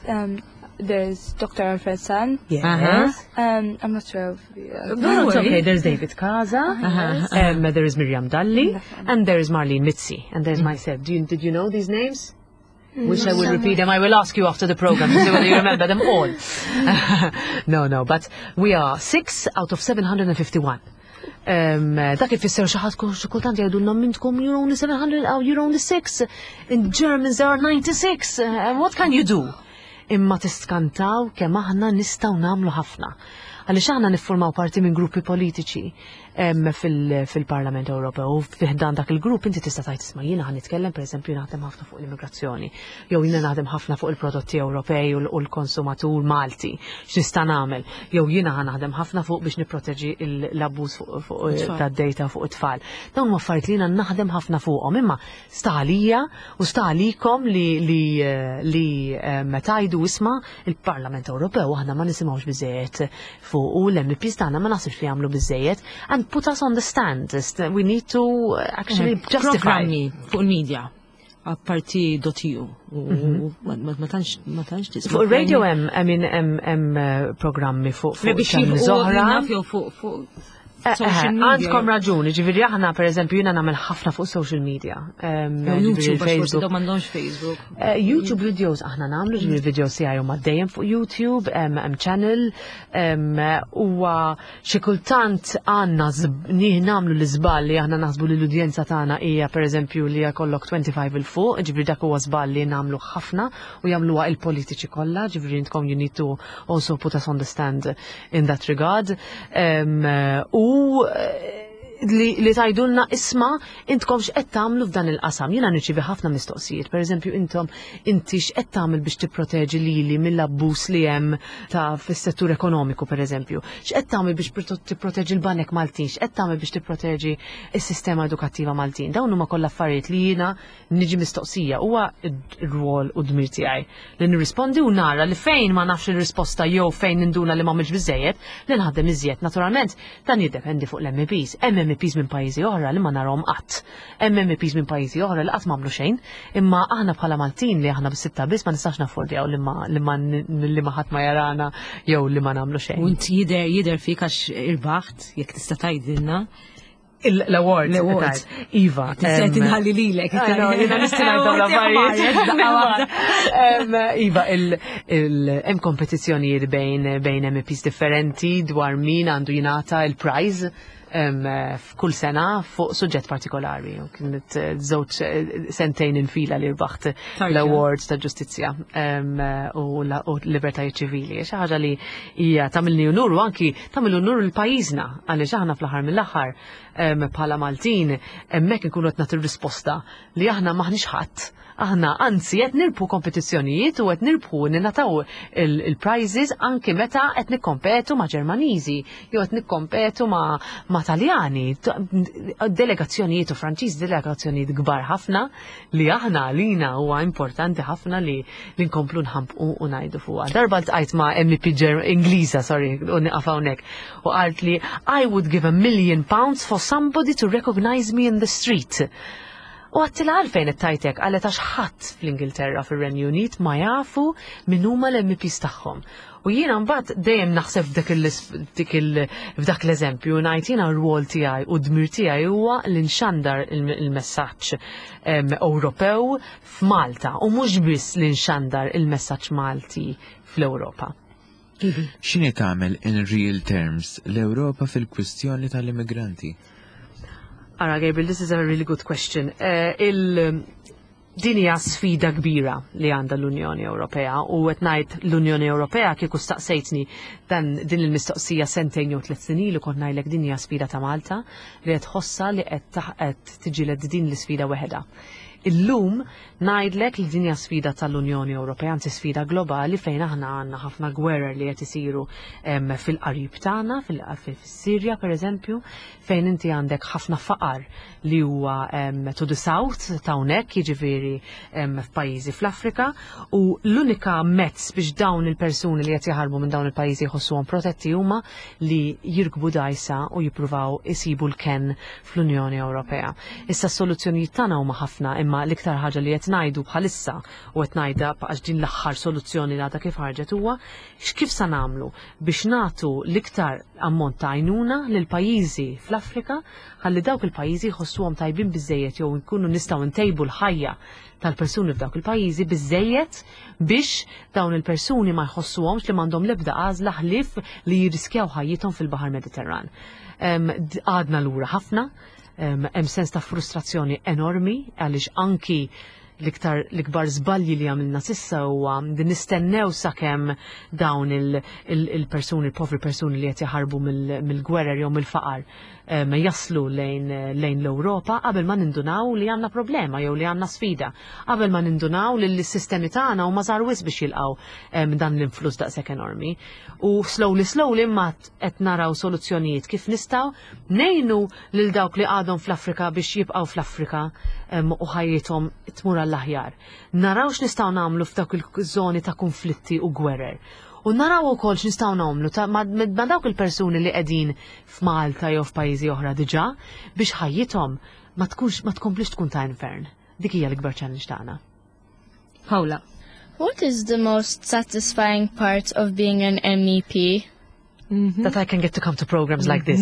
There's Dr. Alfred Sant. Yes. I'm not sure of the... No, it's okay. There's David Casa. There is Miriam Dalli. And there is Marlene Mizzi. And there's myself. Did you know these names? Which I will repeat them. I will ask you after the program to see whether you remember them all. No, but we are 6 out of 751. Dak ifisser xi ħadd xi kultant jgħidulna intkom you're only 700, oh, you're only 6. In Germans there are 96. What can you do? Imma tiskantaw kemm aħna nistgħu nagħmlu ħafna. Għaliex aħna niffurmaw parti minn gruppi politiċi fil-Parlament Ewropew u fi ħdan dak il-grupp inti tista' tgħid isma' jiena ħa nitkellem, pereżempju, naħdem ħafna fuq l-immigrazzjoni, jew jiena naħdem ħafna fuq il-prodotti Ewropej u l-konsumatur Malti, x'nista' nagħmel, jew jiena ħa naħdem ħafna fuq biex nipproteġi l-abbuż fuq It-tfal. tad-data fuq it-tfal. Dawn huma affarijiet li jiena naħdem ħafna fuqhom, imma sta għalija u sta għalikom li meta tgħidu isma' il-Parlament Ewropew aħna ma nisimgħux biżejjed fuq u l-MEPs tagħna ma naħsibx li jagħmlu biżejjed and put us on the stand. We need to actually justify. Programmi fuq il-media apparti .eu u ma tantx tisma'. Fuq il-radio hemm, I mean, hemm programmi fuq biex channels jilqu oħra. naf jew fuq social media. Għandkom raġuni, ġifieri aħna per eżempju jiena nagħmel ħafna fuq social media. Jew Ġifieri YouTube, għax forsi Facebook. dawn m'għandhomx Facebook. YouTube videos aħna nagħmlu, ġifieri videos tiegħi huma dejjem fuq YouTube, hemm channel, huwa xi kultant għandna nagħmlu l-iżball li aħna naħsbu li l-udjenza tagħna hija pereżempju li jkollok 25 il fuq, ġifieri dak huwa żball li nagħmlu ħafna u jagħmluha il-politiċi kollha, ġifieri intkom you need to also put us on the stand in that regard. U li tgħidulna isma' intkom x'qed tagħmlu f'dan il-qasam. Jiena nirċievi ħafna mistoqsijiet, pereżempju intom inti x'qed tagħmel biex tipproteġi lili mill-abbuż li hemm ta' fis-settur ekonomiku pereżempju. X'qed tagħmel biex tipproteġi l-banek Maltin, x'qed tagħmel biex tipproteġi s-sistema edukattiva Maltin. Dawn huma kollha affarijiet li jiena niġi mistoqsija, huwa r-rwol u d-dmir tiegħi li nirrispondi u nara li fejn ma nafx il-risposta jew fejn ninduna li m'għamilx biżejjed li naħdem iżjed. Naturalment dan jiddependi fuq l-MEPs. Hemm MEPs minn pajjiżi oħra li ma narhom qatt. Hemm MEPs minn pajjiżi oħra li qatt m'għamlu xejn, imma aħna bħala Maltin li aħna bis-sitta biss ma nistax naffordjaw li ma ħadd ma jarana jew li ma nagħmlu xejn. U inti jidher fik għax irbaħt, jekk tista' tgħidilna. L-awards. L-awards. Iva. Tista' tinħalli lilek. I know, jiena nista' ngħid dawn l-affarijiet. Iva, hemm kompetizzjonijiet bejn MEPs differenti dwar min għandu jingħata il-prize f'kull sena fuq suġġett partikolari. U kienet żewġ sentejn infila li rbaħt Tarġa. l-awards ta' ġustizzja u libertajiet ċivili. Xi ħaġa li hija tagħmilni unur u anki tagħmel unur lil pajjiżna għaliex aħna fl-aħħar mill-aħħar bħala Maltin hemmhekk inkunu qed nagħtu risposta li aħna maħniex ħadd. Aħna anzi qed nirbħu kompetizzjonijiet u qed nirbħu ninataw il-prizes anki meta qed nikkompetu ma' Ġermaniżi jew qed nikkompetu ma' Taljani. Delegazzjonijiet u Franċiż, delegazzjonijiet kbar ħafna li aħna għalina huwa importanti ħafna li nkomplu nħampqu u ngħidu fuqha. Darba ltqajt ma' MEP Ingliża, sorry, u nieqaf hawnhekk, u qalt li I would give £1 million for somebody to recognize me in the street. U għedtilha għalfejn qed tgħid hekk, qalet għax ħadd fl-Ingilterra fir-Renju Unit ma jafu min huma l-MEPs tagħhom. U jiena mbagħad dejjem naħseb f'dik f'dak l-eżempju ngħid jiena r-rwol tiegħi u d-dmir tiegħi huwa li nxandar il-messaġġ Ewropew f'Malta u mhux biss li nxandar il-messaġġ Malti fl-Ewropa. X'inhi tagħmel in real terms l-Ewropa fil-kwistjoni tal-immigranti? Ara Gabriel, this is a really good question. Eh, il din hija sfida kbira li għandha l-Unjoni Ewropea u qed ngħid l-Unjoni Ewropea kieku staqsejtni dan din il-mistoqsija sentejn jew tliet snin ilu kont ngħidlek din hija sfida ta' Malta li qed tħossha li qed qed tiġieled din l-isfida weħedha. Illum ngħidlek li din hija sfida tal-Unjoni Ewropea, anzi sfida globali fejn aħna għandna ħafna gwerer li qed isiru fil-qarib tagħna, fis-Sirja pereżempju, fejn inti għandek ħafna faqar li huwa to the south ta' hawnhekk, jiġifieri f'pajjiżi fl-Afrika, u l-unika mezz biex dawn il-persuni li qed jaħarbu minn dawn il-pajjiżi jħossuhom protetti huma li jirkbu dgħajsa u jippruvaw isibu l-kenn fl-Unjoni Ewropea. Issa s-soluzzjonijiet tagħna huma ħafna imma l-iktar ħaġa li qed ngħidu bħalissa u qed ngħidha għax din l-aħħar soluzzjoni li għadha kif ħarġet huwa x'kif sa nagħmlu biex nagħtu l-iktar ammont ta' għajnuna lil pajjiżi fl-Afrika ħalli dawk il-pajjiżi jħossuhom tajbin biżejjed jew nkunu nistgħu ntejbu l-ħajja tal-persuni f'dawk il-pajjiżi biżejjed biex dawn il-persuni ma jħossuhomx li m'għandhom l-ebda għażla ħlief li jirriskjaw ħajjithom fil-Baħar Mediterran. Għadna lura ħafna, hemm sens ta' frustrazzjoni enormi għaliex anki l-iktar l-ikbar żbalji li għamilna sissa huwa li nistennew sakemm dawn il-persuni, il-povri persuni li qed jaħarbu mill-gwerer jew mill-faqar jaslu lejn lejn l-Ewropa qabel ma nindunaw li għandna problema jew li għandna sfida, qabel ma nindunaw li l-sistemi tagħna huma żgħar wisq biex jilqgħu dan l-influss daqshekk enormi. U slowly slowly imma qed naraw soluzzjonijiet kif nistgħu ngħinu lil dawk li għadhom fl-Afrika biex jibqgħu fl-Afrika u ħajjithom tmur għall-aħjar. Naraw x'nistgħu nagħmlu f'dawk il-żoni ta' konflitti u gwerer. U naraw ukoll x'nistgħu nagħmlu ma' dawk il-persuni li qegħdin f'Malta jew f'pajjiżi oħra diġà biex ħajjithom ma tkunx ma tkomplix tkun ta' infern. Dik hija l-ikbar challenge tagħna. Paula. What is the most satisfying part of being an MEP? Mm -hmm. That I can get to come to programs like this.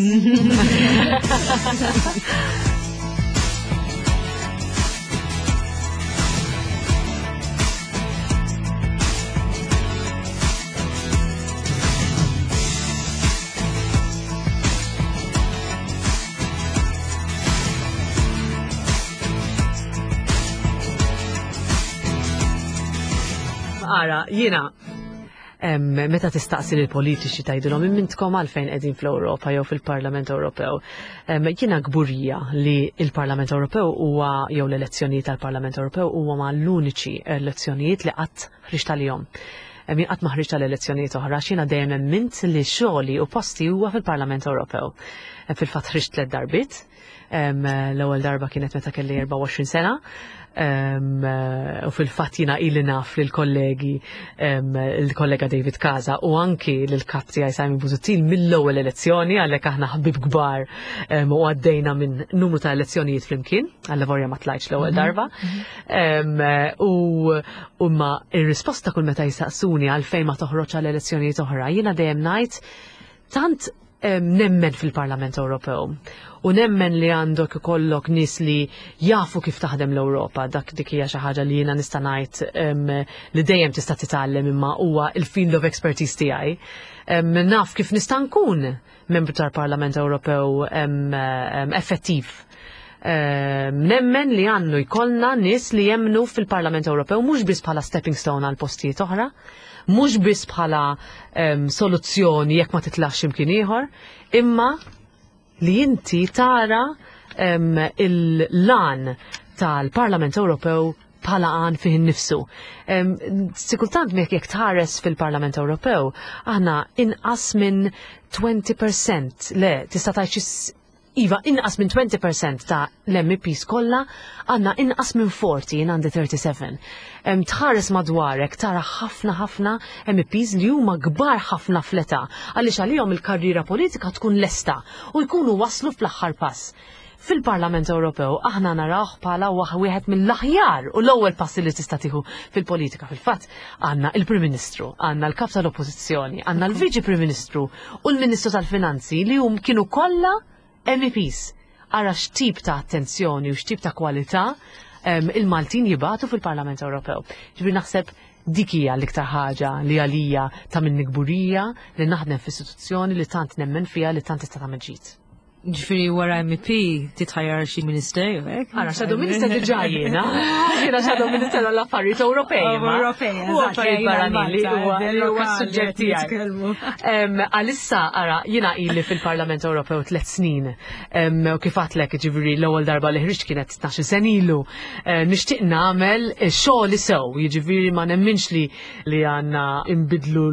Ara, jiena meta tistaqsi lil politiċi tgħidilhom imintkom għalfejn qegħdin fl-Ewropa jew fil-Parlament Ewropew. Jiena kburija li il-Parlament Ewropew huwa jew l-elezzjonijiet tal-Parlament Ewropew huwa ma l-uniċi elezzjonijiet li qatt ħriġt għalihom. Jien qatt ma ħriġt għal elezzjonijiet oħra, x'jiena dejjem emmint li xogħli u posti huwa fil-Parlament Ewropew. Fil-fatt ħriġt tliet darbiet. L-ewwel darba kienet meta kelli 24 sena. U fil-fatt jiena ili naf lil kollegi il-kollega David Casa u anki lil kap tiegħi Simon Busuttil mill-ewwel elezzjoni għalhekk aħna ħbib kbar u għaddejna minn numru ta' elezzjonijiet flimkien, għall-lavorja ma tlajtx l-ewwel mhm. darba. Mhm. U ma ir-risposta kull meta jistaqsuni għalfejn ma toħroġ għal elezzjonijiet oħra, jiena dejjem ngħid tant nemmen fil-Parlament Ewropew u nemmen li għandok ikollok nies li jafu kif taħdem l-Ewropa, dak dik hija xi ħaġa li jiena nista' ngħid li dejjem tista' titgħallem imma huwa il-field of expertise tiegħi. Naf kif nista' nkun membru tal-Parlament Ewropew effettiv. Nemmen li għandu jkollna nies li jemnu fil-Parlament Ewropew mhux biss bħala stepping stone għal postijiet oħra, mhux biss bħala soluzzjoni jekk ma titlax imkien ieħor, imma li inti tara il-lan tal-Parlament Ewropew bħala għan fih innifsu. Sikultant mek jekk tħares fil-Parlament Ewropew, aħna inqas minn 20%, le, tista' tgħid Iva, inqas minn 20% ta' l-MEPs kollha għandna inqas minn 40, jien għandi 37. Tħares madwarek tara ħafna ħafna MEPs li huma kbar ħafna fl-età għaliex għalihom il-karriera politika tkun lesta u jkunu waslu fl-aħħar pass. Fil-Parlament Ewropew aħna narawh bħala wieħed mill-aħjar u l-ewwel passi li tista' tieħu fil-politika. Fil-fatt għandna il-Prim Ministru, għandna l-Kap tal-Oppożizzjoni, għandna l-Viċi Prim Ministru u l-Ministru tal-Finanzi li hum kienu kollha MEPs. Ara x'tip ta' attenzjoni u x'tip ta' kwalità il-Maltin jibatu fil-Parlament Ewropew. Ġifieri naħseb dik hija l-iktar ħaġa li għalija ta' minni kburija li naħdem f'istituzzjoni li tant nemmen fiha li tant tista' tagħmel ġid. Ġifieri wara MP titħajjar xi ministerju, hekk? Ara, shadow minister diġà jiena. Jiena shadow minister għall-affarijiet Ewropej. Oh, Ewropej, U affarijiet barranin li huwa li huwa s-suġġett tiegħi. Għalissa, ara, jiena ili fil-Parlament Ewropew tliet snin. U kif għadtlek, ġifieri l-ewwel darba li ħriġt kienet 12 sen ilu. Nixtieq nagħmel xogħol sew, jiġifieri ma nemminx li li għandna imbidlu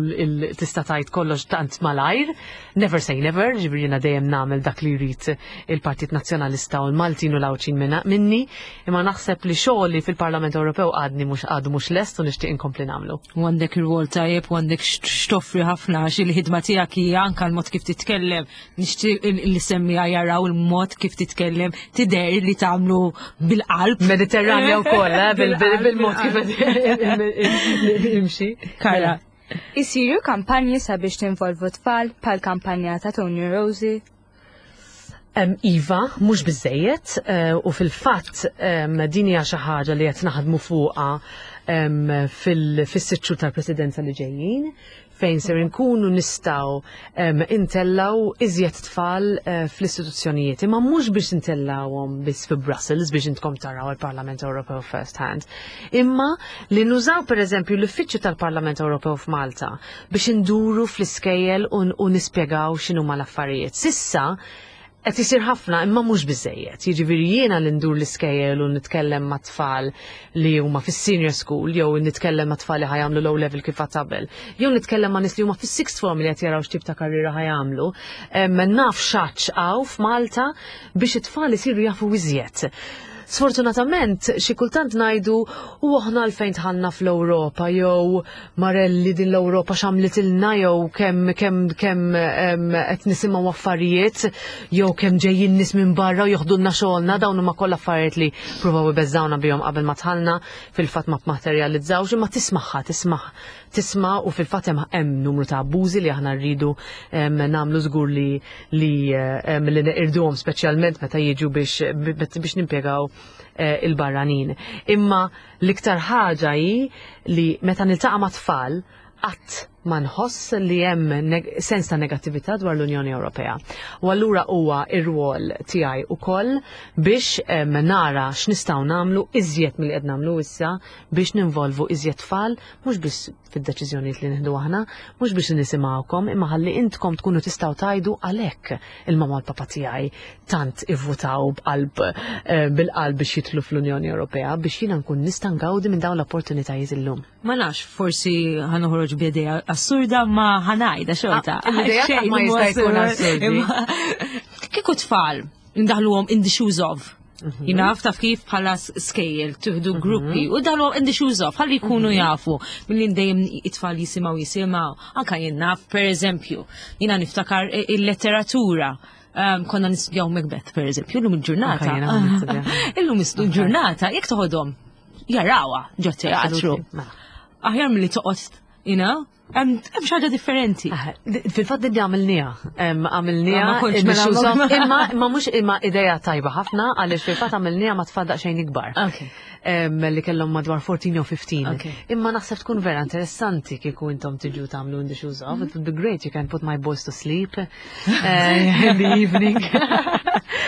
tista' tgħid kollox tant malajr. Never say never, ġifieri jiena dejjem nagħmel dak li jrid il-Partit Nazzjonalista u l-Maltin u l-Għawdxin minni, imma naħseb li xogħli fil-Parlament Ewropew għadni mhux għadu mhux lest u nixtieq inkompli nagħmlu. U għandek ir-rwol tajjeb u għandek x'toffri ħafna għax il-ħidma tiegħek hija anke l-mod kif titkellem, nixtieq li semmija jaraw il-mod kif titkellem, tidher li tagħmlu bil-qalb. Mediterranja wkoll, bil-mod kif imxi. Kara. Isiru kampanji sabiex tinvolvu tfal bħal kampanja ta' Tony Rosie? Iva, mhux biżejjed, u fil-fatt din hija xi ħaġa li qed naħdmu fuqha fis-sitt xhur tal-presidenza li ġejjin, fejn ser inkunu nistgħu intellaw iżjed tfal fl-istituzzjonijiet. Imma mhux biex intellawhom biss fi Brussels biex intkom taraw il-Parlament Ewropew first hand, imma li nużaw pereżempju l-uffiċċju tal-Parlament Ewropew f'Malta biex induru fl-iskejjel u nispjegaw x'inhuma l-affarijiet. Sissa qed isir ħafna imma mhux biżejjed. Jiġifieri jiena li ndur l-iskejjel u nitkellem ma' tfal li huma fis-senior school jew nitkellem ma' tfal li ħa jagħmlu low level kif qabel, jew nitkellem ma' nies li huma fis-sixth form li qed jaraw x'tip ta' karriera ħa jagħmlu. Naf x'għatx hawn f'Malta biex it-tfal isiru jafu iżjed. Sfortunatament, xi kultant ngħidu u aħna għalfejn dħalna fl-Ewropa jew Marelli din l-Ewropa x'għamlitilna jew kemm kemm kemm qed nisimgħu affarijiet jew kemm ġejjin nies minn barra u joħdulna xogħolna, dawn huma kollha affarijiet li pruvaw ibeżżawna bihom qabel ma dħalna, fil-fatt ma materjalizzawx, imma tismagħha, tisma' tisma' u fil-fatt hemm numru ta' abbużi li aħna rridu nagħmlu żgur li li li neqirduhom speċjalment meta jiġu biex biex nimpjegaw il-barranin. Imma l-iktar ħaġa hi li meta niltaqa' ma' tfal qatt ma nħoss li hemm sens ta' negattività dwar l-Unjoni Ewropea. U allura huwa ir-rwol tiegħi ukoll biex nara x'nistgħu nagħmlu iżjed milli qed nagħmlu issa biex ninvolvu iżjed tfal mhux biss fid-deċiżjonijiet li nieħdu aħna, mhux biex nisimgħukom, imma ħalli intkom tkunu tistgħu tgħidu għalhekk il-mama u l-papa tiegħi tant ivvutaw b'qalb bil-qalb biex jidħlu fl-Unjoni Ewropea biex jiena nkun nista' ngawdi minn dawn l-opportunitajiet illum. Ma nafx, forsi ħa noħroġ b'idea assurda ma ħa ngħidha xorta. L-idea qatt ma jista' jkun assurdi. Kieku tfal ndaħluhom in the shoes of. Jina taf kif bħala skejjel tuħdu gruppi u daħluhom in the shoes of ħalli jkunu jafu milli dejjem it-tfal jisimgħu jisimgħu. Anka jien naf, per eżempju, jiena niftakar il-letteratura. Konna nistudjaw Macbeth, per eżempju, illum il-ġurnata. Anka jiena nistudja. Illum il-ġurnata, jekk toħodhom jarawha ġo teatru. Mela. Aħjar milli toqgħod, you know? Hemm xi ħaġa differenti. Fil-fatt din għamilniha. Għamilniha Ma kontx mela imma imma imma mhux imma idea tajba ħafna għaliex fil-fatt għamilniha ma tfal daqsxejn ikbar. Li kellhom madwar 14 jew 15. Imma naħseb tkun vera interessanti kieku intom tiġu tagħmlu in the shoes of. It would be great, you can put my boys to sleep in the evening.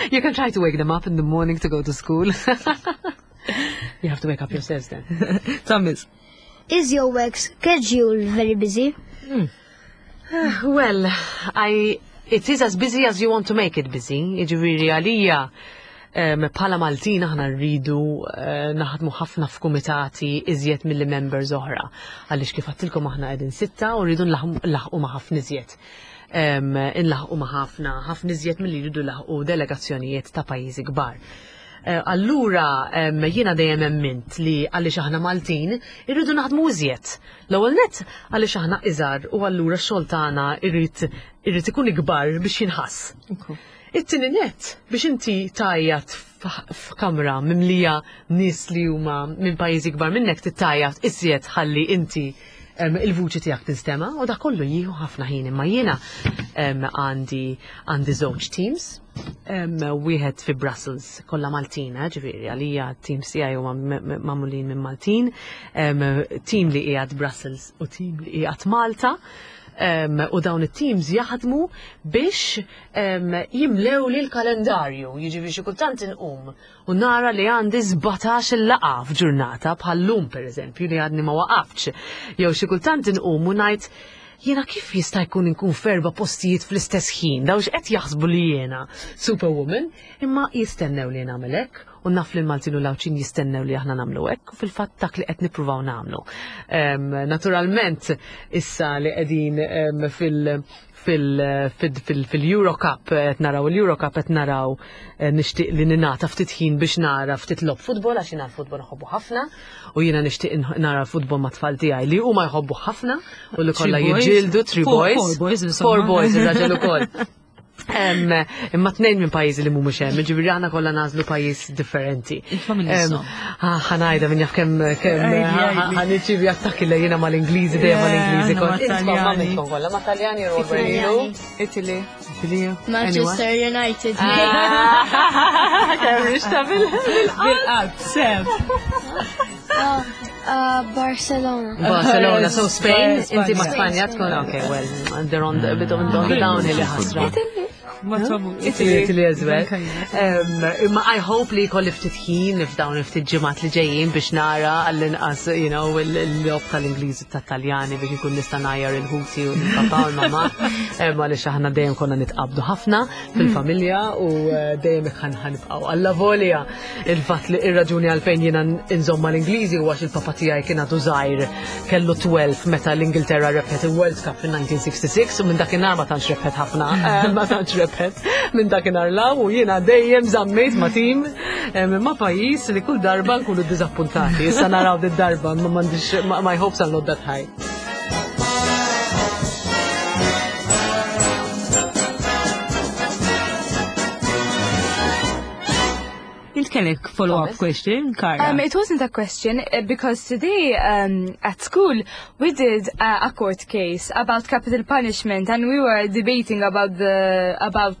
You can try to wake them up in the morning to go to school. You have to wake up yourselves then. Thomas. Is your work schedule very busy? Well, it is as busy as you want to make it busy. Jiġifieri għalija bħala Maltin aħna rridu naħdmu ħafna f'kumitati iżjed milli members oħra. Għaliex kif għedtilkom aħna qegħdin 6 u rridu nlaħqu ma' ħafna iżjed. Inlaħqu ma' ħafna, ħafna iżjed milli jridu laħqu delegazzjonijiet ta' pajjiżi kbar. Allura jiena dejjem emmint li għaliex aħna Maltin irridu naħdmu iżjed. L-ewwel nett għaliex aħna iżgħar u allura x-xogħol tagħna irrid ikun ikbar biex jinħass. It-tieni nett biex inti tgħajjat f'kamra mimlija nies li huma minn pajjiżi kbar minnek titgħajjat iżjed ħalli inti il-vuċi tiegħek tinstema' u dak kollu jieħu ħafna ħin imma jiena għandi għandi żewġ teams wieħed fi Brussels kollha Maltin, eh, ġifieri għalija teams tiegħi huma magħmulin minn Maltin, team li qiegħed Brussels u team li qiegħed Malta. U dawn it-teams jaħdmu biex jimlew li l-kalendarju, jiġifieri xi kultant inqum u nara li għandi 17 il-laqgħa f'ġurnata bħal-lum pereżempju li għadni ma waqaftx. Jew xi kultant inqum u ngħid jiena kif jista' jkun inkun f'erba' postijiet fl-istess ħin, dawn x'qed jaħsbu li jiena superwoman, imma jistennew li nagħmel hekk u naf li l-Maltin u l-Għawdxin jistennew li aħna nagħmlu hekk u fil-fatt dak li qed nippruvaw nagħmlu. Naturalment issa li qegħdin fil- fil-Euro Cup qed naraw il-Euro Cup qed naraw eh, nixtieq li ninata ftit ħin biex nara ftit lob futbol għax jiena l-futbol nħobbu ħafna u jiena nixtieq nara futbol ma' tfal tiegħi li huma jħobbu ħafna u li kollha jiġġieldu three boys. Four boys, Four boys ir-raġel ukoll. Imma tnejn minn pajjiżi li mhumiex hemm, jiġifieri aħna kollha nagħżlu pajjiż differenti. Ħanajda minn jaf kemm kemm ħaniċivi attakki li jiena mal-Ingliżi dejjem mal-Ingliżi kont. Insomma, ma minnkom kollha, ma' Taljani jew Italy. Italy. Manchester United. Ah. Kemm rixta bil-qalb. Sem. Ah, ah, Barcelona. Barcelona, so Spain, inti ma' Spanja tkun, okay, well, they're on the, bit on the downhill ħasra. Italy. Italy as well. Imma I hope li jkolli ftit ħin f'dawn ftit ġimgħat li ġejjin biex nara għall-inqas, you know, il-lob tal-Ingliż u tat-Taljani biex ikun nista' ngħajjar il-ħuti u l-papà u l-mamà. Għaliex aħna dejjem konna nitqabdu ħafna fil-familja u eh, dejjem hekk ħanibqgħu. Alla volja Il-fatt li ir-raġuni għalfejn jiena nżomm mal-Ingliżi huwa għax il-papa tiegħi kien għadu żgħir kellu 12 meta l-Ingilterra rebħet il-World Cup fin-1966 u minn dakinhar ma tantx rebħet ħafna, eh, ma tantx rebħet minn dakinhar law u jiena dejjem żammejt ma' tim eh, ma' pajjiż li kull darba nkunu ddiżappuntati. Issa naraw darba ma m'għandix my hopes are not that high. Int kellek follow-up question, Cara? Um, it wasn't a question uh, because today um, at school we did uh, a court case about capital punishment and we were debating about the about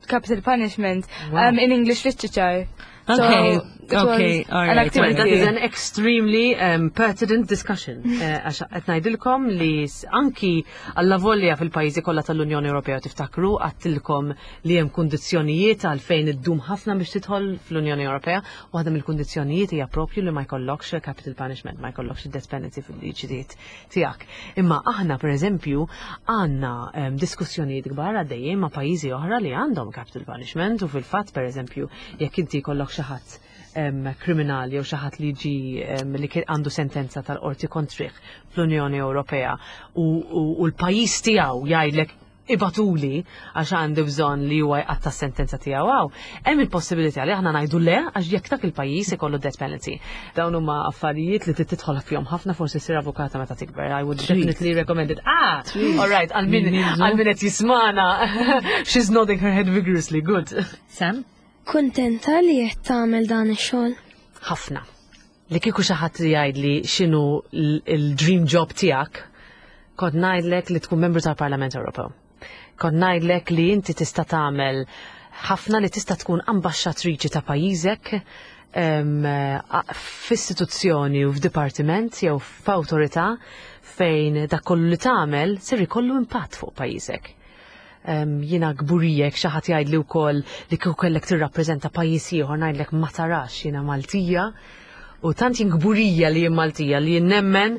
capital punishment wow. um, in English literature. Okay, so okay, all right. Well, that is an extremely um, pertinent discussion. Eh, għax qed ngħidilkom li anki alla volja fil-pajjiżi kollha tal-Unjoni Ewropea tiftakru għattilkom li hemm kundizzjonijiet għalfejn iddum ħafna biex tidħol fl-Unjoni Ewropea, waħda mill-kundizzjonijiet hija propju li ma jkollokx capital punishment, ma jkollokx death penalty fil-liġijiet tiegħek. Imma aħna pereżempju għandna ehm, diskussjonijiet kbar għaddejjin ma' pajjiżi oħra li għandhom capital punishment u fil-fatt pereżempju jekk inti jkollok xi ħadd ehm, kriminali jew xi ħadd li ġi ehm, li għandu sentenza tal-qorti kontrih fl-Unjoni Ewropea u, u, u l-pajjiż tiegħu jgħidlek ibagħtuli għax għandi bżonn li huwa jqatta' s-sentenza tiegħu hawn, hemm il-possibilità li aħna ngħidu le għax jekk dak il-pajjiż ikollu death penalty. Dawn huma affarijiet li trid tidħol fihom ħafna forsi ssir avukata meta tikber. I would definitely recommend it. Ah, all right, għal min għal min qed jismana. She's nodding her head vigorously. Good. Sam? Kuntenta li qed tagħmel dan ix-xogħol? Ħafna. Li kieku xi ħadd jgħidli x'inhu l-dream job tiegħek, kont ngħidlek li tkun membru tal-Parlament Ewropew. Kont ngħidlek li inti tista' tagħmel ħafna li tista' tkun ambaxxatriċi ta' pajjiżek f'istituzzjoni u f'dipartiment jew f'awtorità fejn dak kollu li tagħmel ser ikollu impatt fuq pajjiżek. Jiena kburija jekk xi ħadd jgħidli wkoll li kieku kellek tirrappreżenta pajjiż ieħor ngħidlek ma tarax jiena Maltija u tant jien kburija li jien Maltija li jien nemmen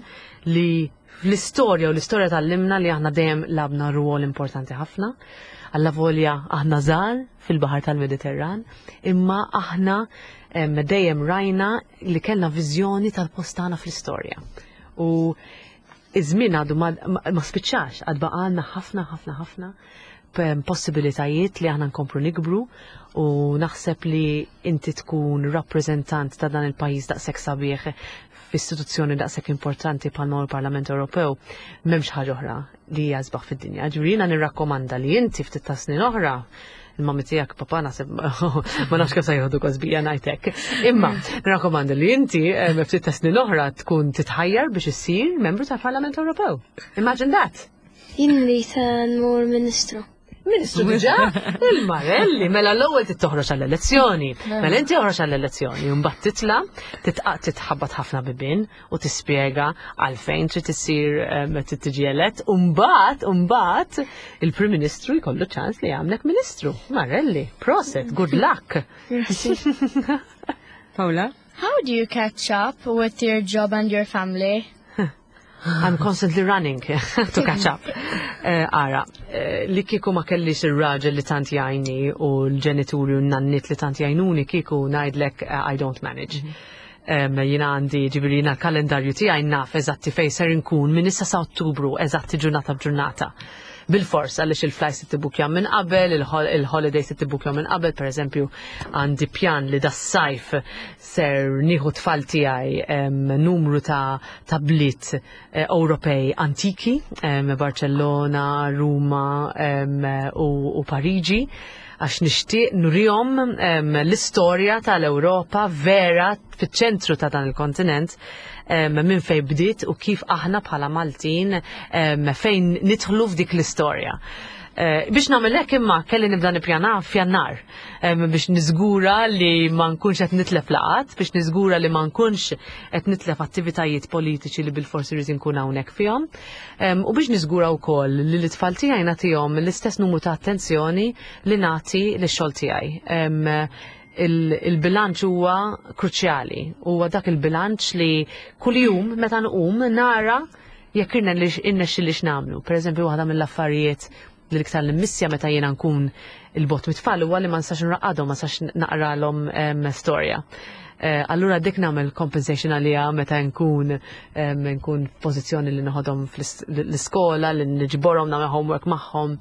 li fl-istorja u l-istorja tal-limna li aħna dejjem labna rwol importanti ħafna. Alla volja aħna żgħar fil-baħar tal-Mediterran, imma aħna dejjem rajna li kellna viżjoni tal-post tagħna fl-istorja. U Iż-żmien għadu ma, ma spiċċax, għad baqgħalna ħafna ħafna ħafna possibilitajiet li aħna nkomplu nikbru u naħseb li inti tkun rappreżentant ta' dan il-pajjiż daqshekk sabiħ f'istituzzjoni daqshekk importanti bħalma l-Parlament Ewropew m'hemmx ħaġa oħra li hija sbaħ fid-dinja. Ġifieri jiena nirrakkomanda li inti ftit ta' snin oħra Il-mami tiegħek papa naħseb ma nafx kif se jieħdu kosbija ngħidlek. Imma nirrakkomanda li inti ftit ta' snin oħra tkun titħajjar biex issir membru tal-Parlament Ewropew. Imagine that. Jien li nmur ministru. Ministru diġà? Il-Marelli, mela l-ewwel tittoħroġ għall-elezzjoni. Mela inti oħroġ għall-elezzjoni, u mbagħad titla' titħabbat ħafna bibien u tispjega għalfejn trid issir trid tiġi elett, u mbagħad mbagħad il-Prim Ministru jkollu ċans li jagħmlek Ministru. Marelli, proset, good luck. Paula? How do you catch up with your job and your family? I'm constantly running to catch up. Ara, li kieku ma kellix ir-raġel li tant jgħinni u l-ġenituri u n-nannit li tant jgħinuni kieku ngħidlek I don't manage. Jiena għandi ġifieri jiena l-kalendarju tiegħi naf eżatti fejn ser inkun minn issa sa Ottubru eżatti ġurnata b'ġurnata. Bil-fors għaliex il-flights tibbukja minn qabel, il-holidays tibbukja minn qabel, per eżempju għandi pjan li das-sajf ser nieħu tfal tiegħi numru ta' bliet Ewropej antiki, Barcellona, Ruma u Pariġi, għax nixtieq nurihom l-istorja tal-Ewropa vera fiċ-ċentru ta' dan il-kontinent, minn fejn bdiet u kif aħna bħala Maltin fejn nidħlu f'dik l-istorja. Biex nagħmel hekk imma kelli nibda nippjana f'Jannar biex niżgura li ma nkunx qed nitlef laqat, biex niżgura li ma nkunx qed nitlef attivitajiet politiċi li bilforsi rrid inkun hawnhekk fihom. U biex niżgura wkoll li l-itfal tiegħi nagħtihom l-istess numru ta' attenzjoni li nagħti lix-xogħol tiegħi. Il-bilanċ huwa kruċjali, huwa dak il-bilanċ li kuljum meta nqum nara jekk irnexxilix nagħmlu. Per eżempju, waħda mill-affarijiet li l-iktar li missja meta jiena nkun il-bot mit-tfal huwa li ma nistax nraqqadhom, ma nistax naqralhom storja. Allura dik nagħmel compensation għalija meta nkun f'pożizzjoni li noħodhom fl-iskola, li niġborhom nagħmel homework magħhom,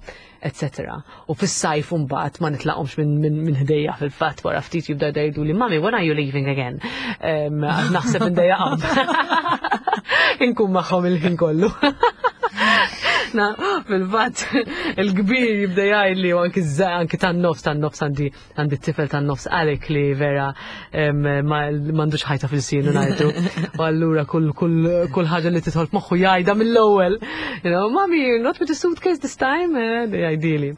eccetera. U fis-sajf mbagħad ma nitlaqhomx minn ħdejja fil-fatt wara ftit jibda jgħidu li mami, when are you leaving again? Għax naħseb indejjaqhom. Inkun magħhom il-ħin kollu. Na, fil-fatt il-kbir jibda jgħidli u anki anki tan-nofs, tan-nofs għandi t-tifel tan-nofs għalek li vera m'għandux ħajta fil-sinu ngħidu. U allura kull ħaġa li tidħol f'moħħu jgħidha mill-ewwel. Mami, you're not with the suitcase this time? Jgħidili.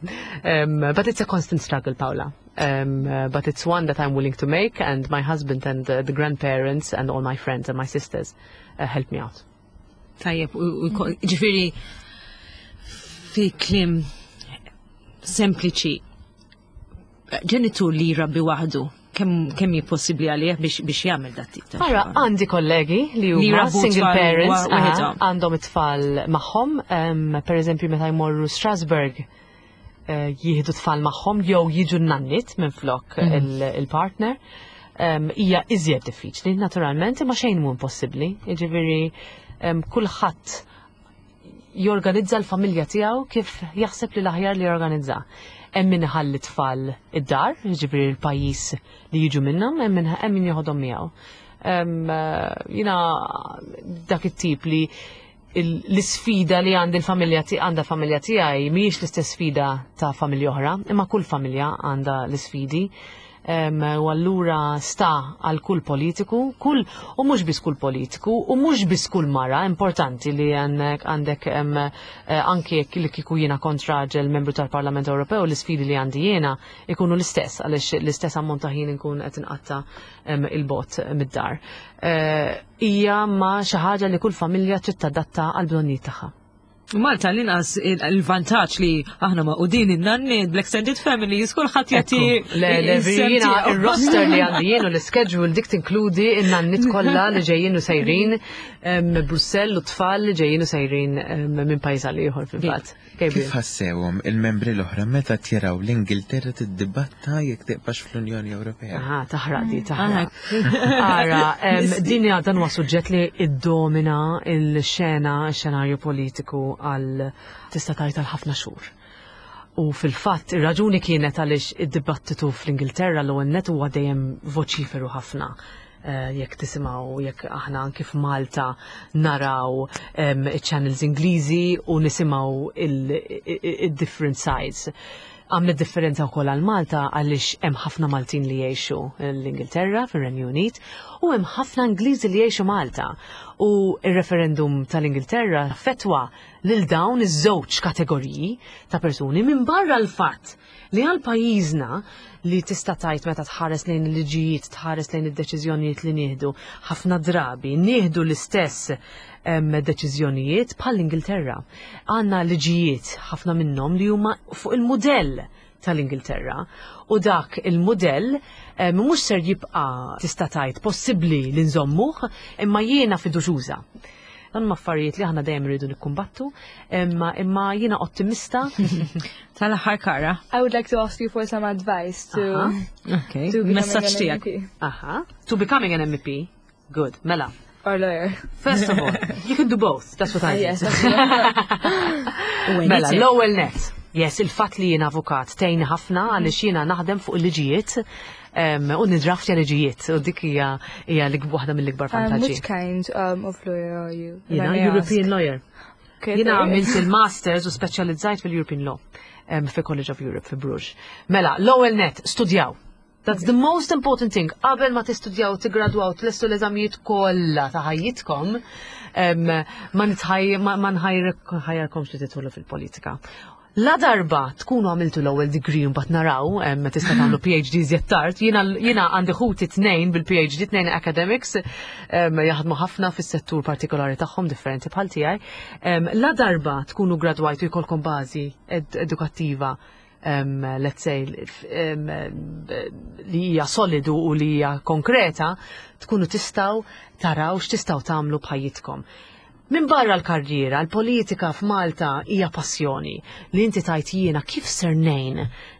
But it's a constant struggle, Paula. But it's one that I'm willing to make, and my husband and the grandparents and all my friends and my sisters help me out. Tajjeb, ġifieri fi kliem sempliċi, ġenitur li jrabbi waħdu, kemm hi possibbli għalih biex jagħmel dat tip ta' Ara, xogħol? għandi kollegi li Li huma jrabbu single tfal parents, waħedhom. għandhom it-tfal magħhom, per eżempju meta jmorru Strasbourg, jieħdu tfal magħhom jew jiġu n-nannit minn flok il-partner. Hija iżjed diffiċli, naturalment, imma xejn mhu impossibbli. Jiġifieri, kulħadd jorganizza l-familja tiegħu kif jaħseb li l-aħjar li jorganizza. Hemm min iħalli tfal id-dar, jiġifieri l-pajjiż li jiġu minnhom, hemm min joħodhom miegħu. Jiena dak it-tip li l-isfida li għandi l-familja għandha familja tiegħi mhijiex l-istess sfida ta' familja oħra, imma kull familja għandha l-isfidi. U allura sta għal kull politiku, u mhux biss kull politiku, u mhux biss kull mara, importanti li għandek anki jekk li kieku jiena kont raġel membru tal-Parlament Ewropew, l-isfidi li għandi jiena ikunu l-istess, għaliex l-istess ammont ta' ħin inkun qed inqatta il-bot mid-dar. Hija ma xi ħaġa li kull familja trid tadatta għal bżonnijiet tagħha. Malta l-inqas il-vantaġġ li aħna ma' u din in-nanni, bl-extended families, kulħadd jagħti Ekku. Le, le, is-sem jiena tiegħu. il-roster li għandi jien u l-schedule dik tinkludi in-nannit kollha li ġejjin u sejrin Brussell u tfal li ġejjin u sejrin minn pajjiż għal ieħor fil-fatt. Gabriel. Kif ħassewhom il-membri l-oħra meta tjeraw l-Ingilterra tiddibatta jekk tiqbax fl-Unjoni Ewropea? Aha, taħraq di, taħraq. Ara, din hija dan huwa suġġett li iddomina il-xena, il-xenarju politiku għal tista' tgħid għal ħafna xhur. U fil-fatt ir-raġuni kienet għaliex id-dibattitu fl-Ingilterra l-ewwel nett huwa dejjem voċiferu ħafna. Jekk tisimgħu, jekk aħna anki f'Malta naraw channels Ingliżi u nisimgħu il-different sides. Għamlet differenza wkoll għal Malta għaliex hemm ħafna Maltin li jgħixu l-Ingilterra, fir-Renju Unit, u hemm ħafna Ingliżi li jgħixu Malta. U r-referendum tal-Ingilterra fetwa lil dawn iż-żewġ kategoriji ta' persuni minn barra l-fatt li għal pajjiżna li tista' tgħid meta tħares lejn il-liġijiet, tħares lejn id-deċiżjonijiet li nieħdu, ħafna drabi nieħdu l-istess deċiżjonijiet bħall-Ingilterra. Għandna liġijiet ħafna minnhom li huma fuq il-mudell tal-Ingilterra u dak il-mudell mhux ser jibqa' tista' tgħid possibbli li nżommuh imma jiena fiduċjuża. Dan huma affarijiet li aħna dejjem irridu nikkumbattu, imma imma jiena ottimista. Tal-aħħar Kara. I would like to ask you for some advice to Okay. to becoming Messaġġ an tiegħek. MEP. Aha. To becoming an MEP. Good. Mela. Or lawyer. First of all, you can do both. That's what I Yes, did. that's Mela, l-ewwel net. Yes, il-fatt li jien avukat tgħinni ħafna għaliex jiena naħdem fuq il-liġijiet u nidraftja liġijiet u dik hija hija waħda mill-ikbar vantaġġi. Which kind of lawyer are you? If I Jiena may ask. European lawyer. Okay, Jiena fair. għamilt il-masters u speċjalizzajt fil-European Law fi College of Europe fi Bruges. Mela, l-ewwel net, studjaw. That's the most important thing. Qabel ma tistudjaw, tigradwaw, tlestu l-eżamijiet kollha ta' ħajjitkom, ma nitħaj ma nħajjarkomx li tidħlu fil-politika. La darba tkunu għamiltu l-ewwel degree mbagħad naraw tista' tagħmlu PhD iżjed tard. Jiena għandi ħuti tnejn bil-PhD, tnejn academics, jaħdmu ħafna fis-settur partikolari tagħhom differenti bħal tiegħi. La darba tkunu gradwajtu jkollkom bażi edukattiva let's say, li hija solidu u li hija konkreta, tkunu tistgħu taraw x'tistgħu tagħmlu b'ħajjitkom. Min barra l-karriera, l-politika f'Malta hija passjoni li inti tajt jiena kif ser ngħin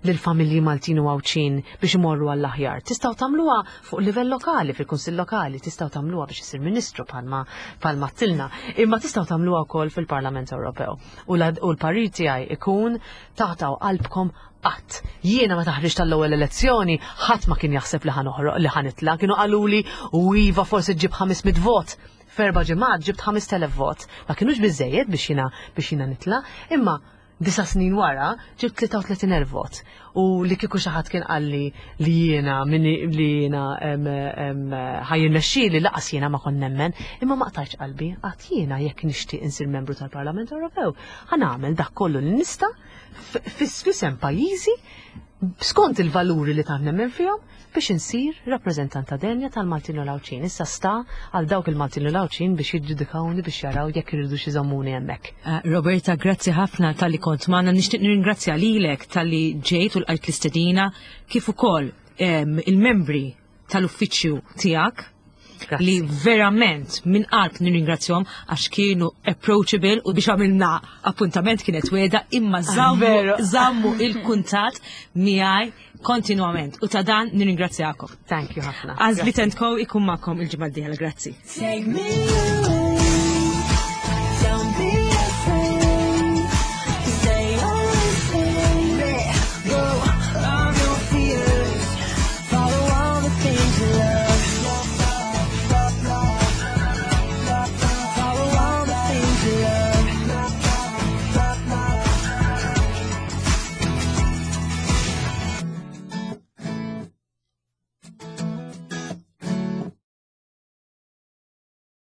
lill-familji Maltin u Għawdxin biex imorru għall-aħjar. Tistgħu tagħmluha fuq livell lokali, fil-Kunsill Lokali, tistgħu tagħmluha biex isir Ministru bħalma tilna, imma tistgħu tagħmluha wkoll fil-Parlament Ewropew. U l-parir tiegħi ikun taqtgħu qalbkom qatt. Jiena meta ħriġt tal-ewwel elezzjoni, ħadd ma kien jaħseb li ħa noħroq li ħa nitla', kienu qaluli u iva forsi ġib 500 vot. F'erba' ġimgħat ġibt 5000 vot. Ma kienux biżejjed biex jiena nitla', imma 9 snin wara ġibt 33,000 vot. U li kieku xi ħadd kien qalli li jiena minni li jiena ħa jirnexxili lanqas jiena ma kont nemmen, imma ma qtajtx qalbi, għedt jiena jekk nixtieq insir membru tal-Parlament Ewropew. Ħa nagħmel dak kollu li nista' f'isem pajjiżi skont il-valuri li tant nemmen fihom biex insir rappreżentanta denja tal-Maltin u l-Għawdxin. Issa sta għal dawk il-Maltin u l-Għawdxin biex jiġġudikawni biex jaraw jekk iridu iżommuni hemmhekk. Roberta, grazzi ħafna talli kont magħna. Nixtieq nirringrazzja lilek talli ġejt u lqajt l-istedina kif ukoll il-membri tal-uffiċċju tiegħek Grazzi. li verament minn qalb nirringrazzjahom għax kienu approachable u biex għamilna appuntament kienet wegħda imma żammu Veru. żammu il-kuntatt miegħi kontinwament u ta' dan nirringrazzjakom. Thank you ħafna. Għażliet and Co ikun magħkom il-ġimgħa d-dieħla, grazzi. Take me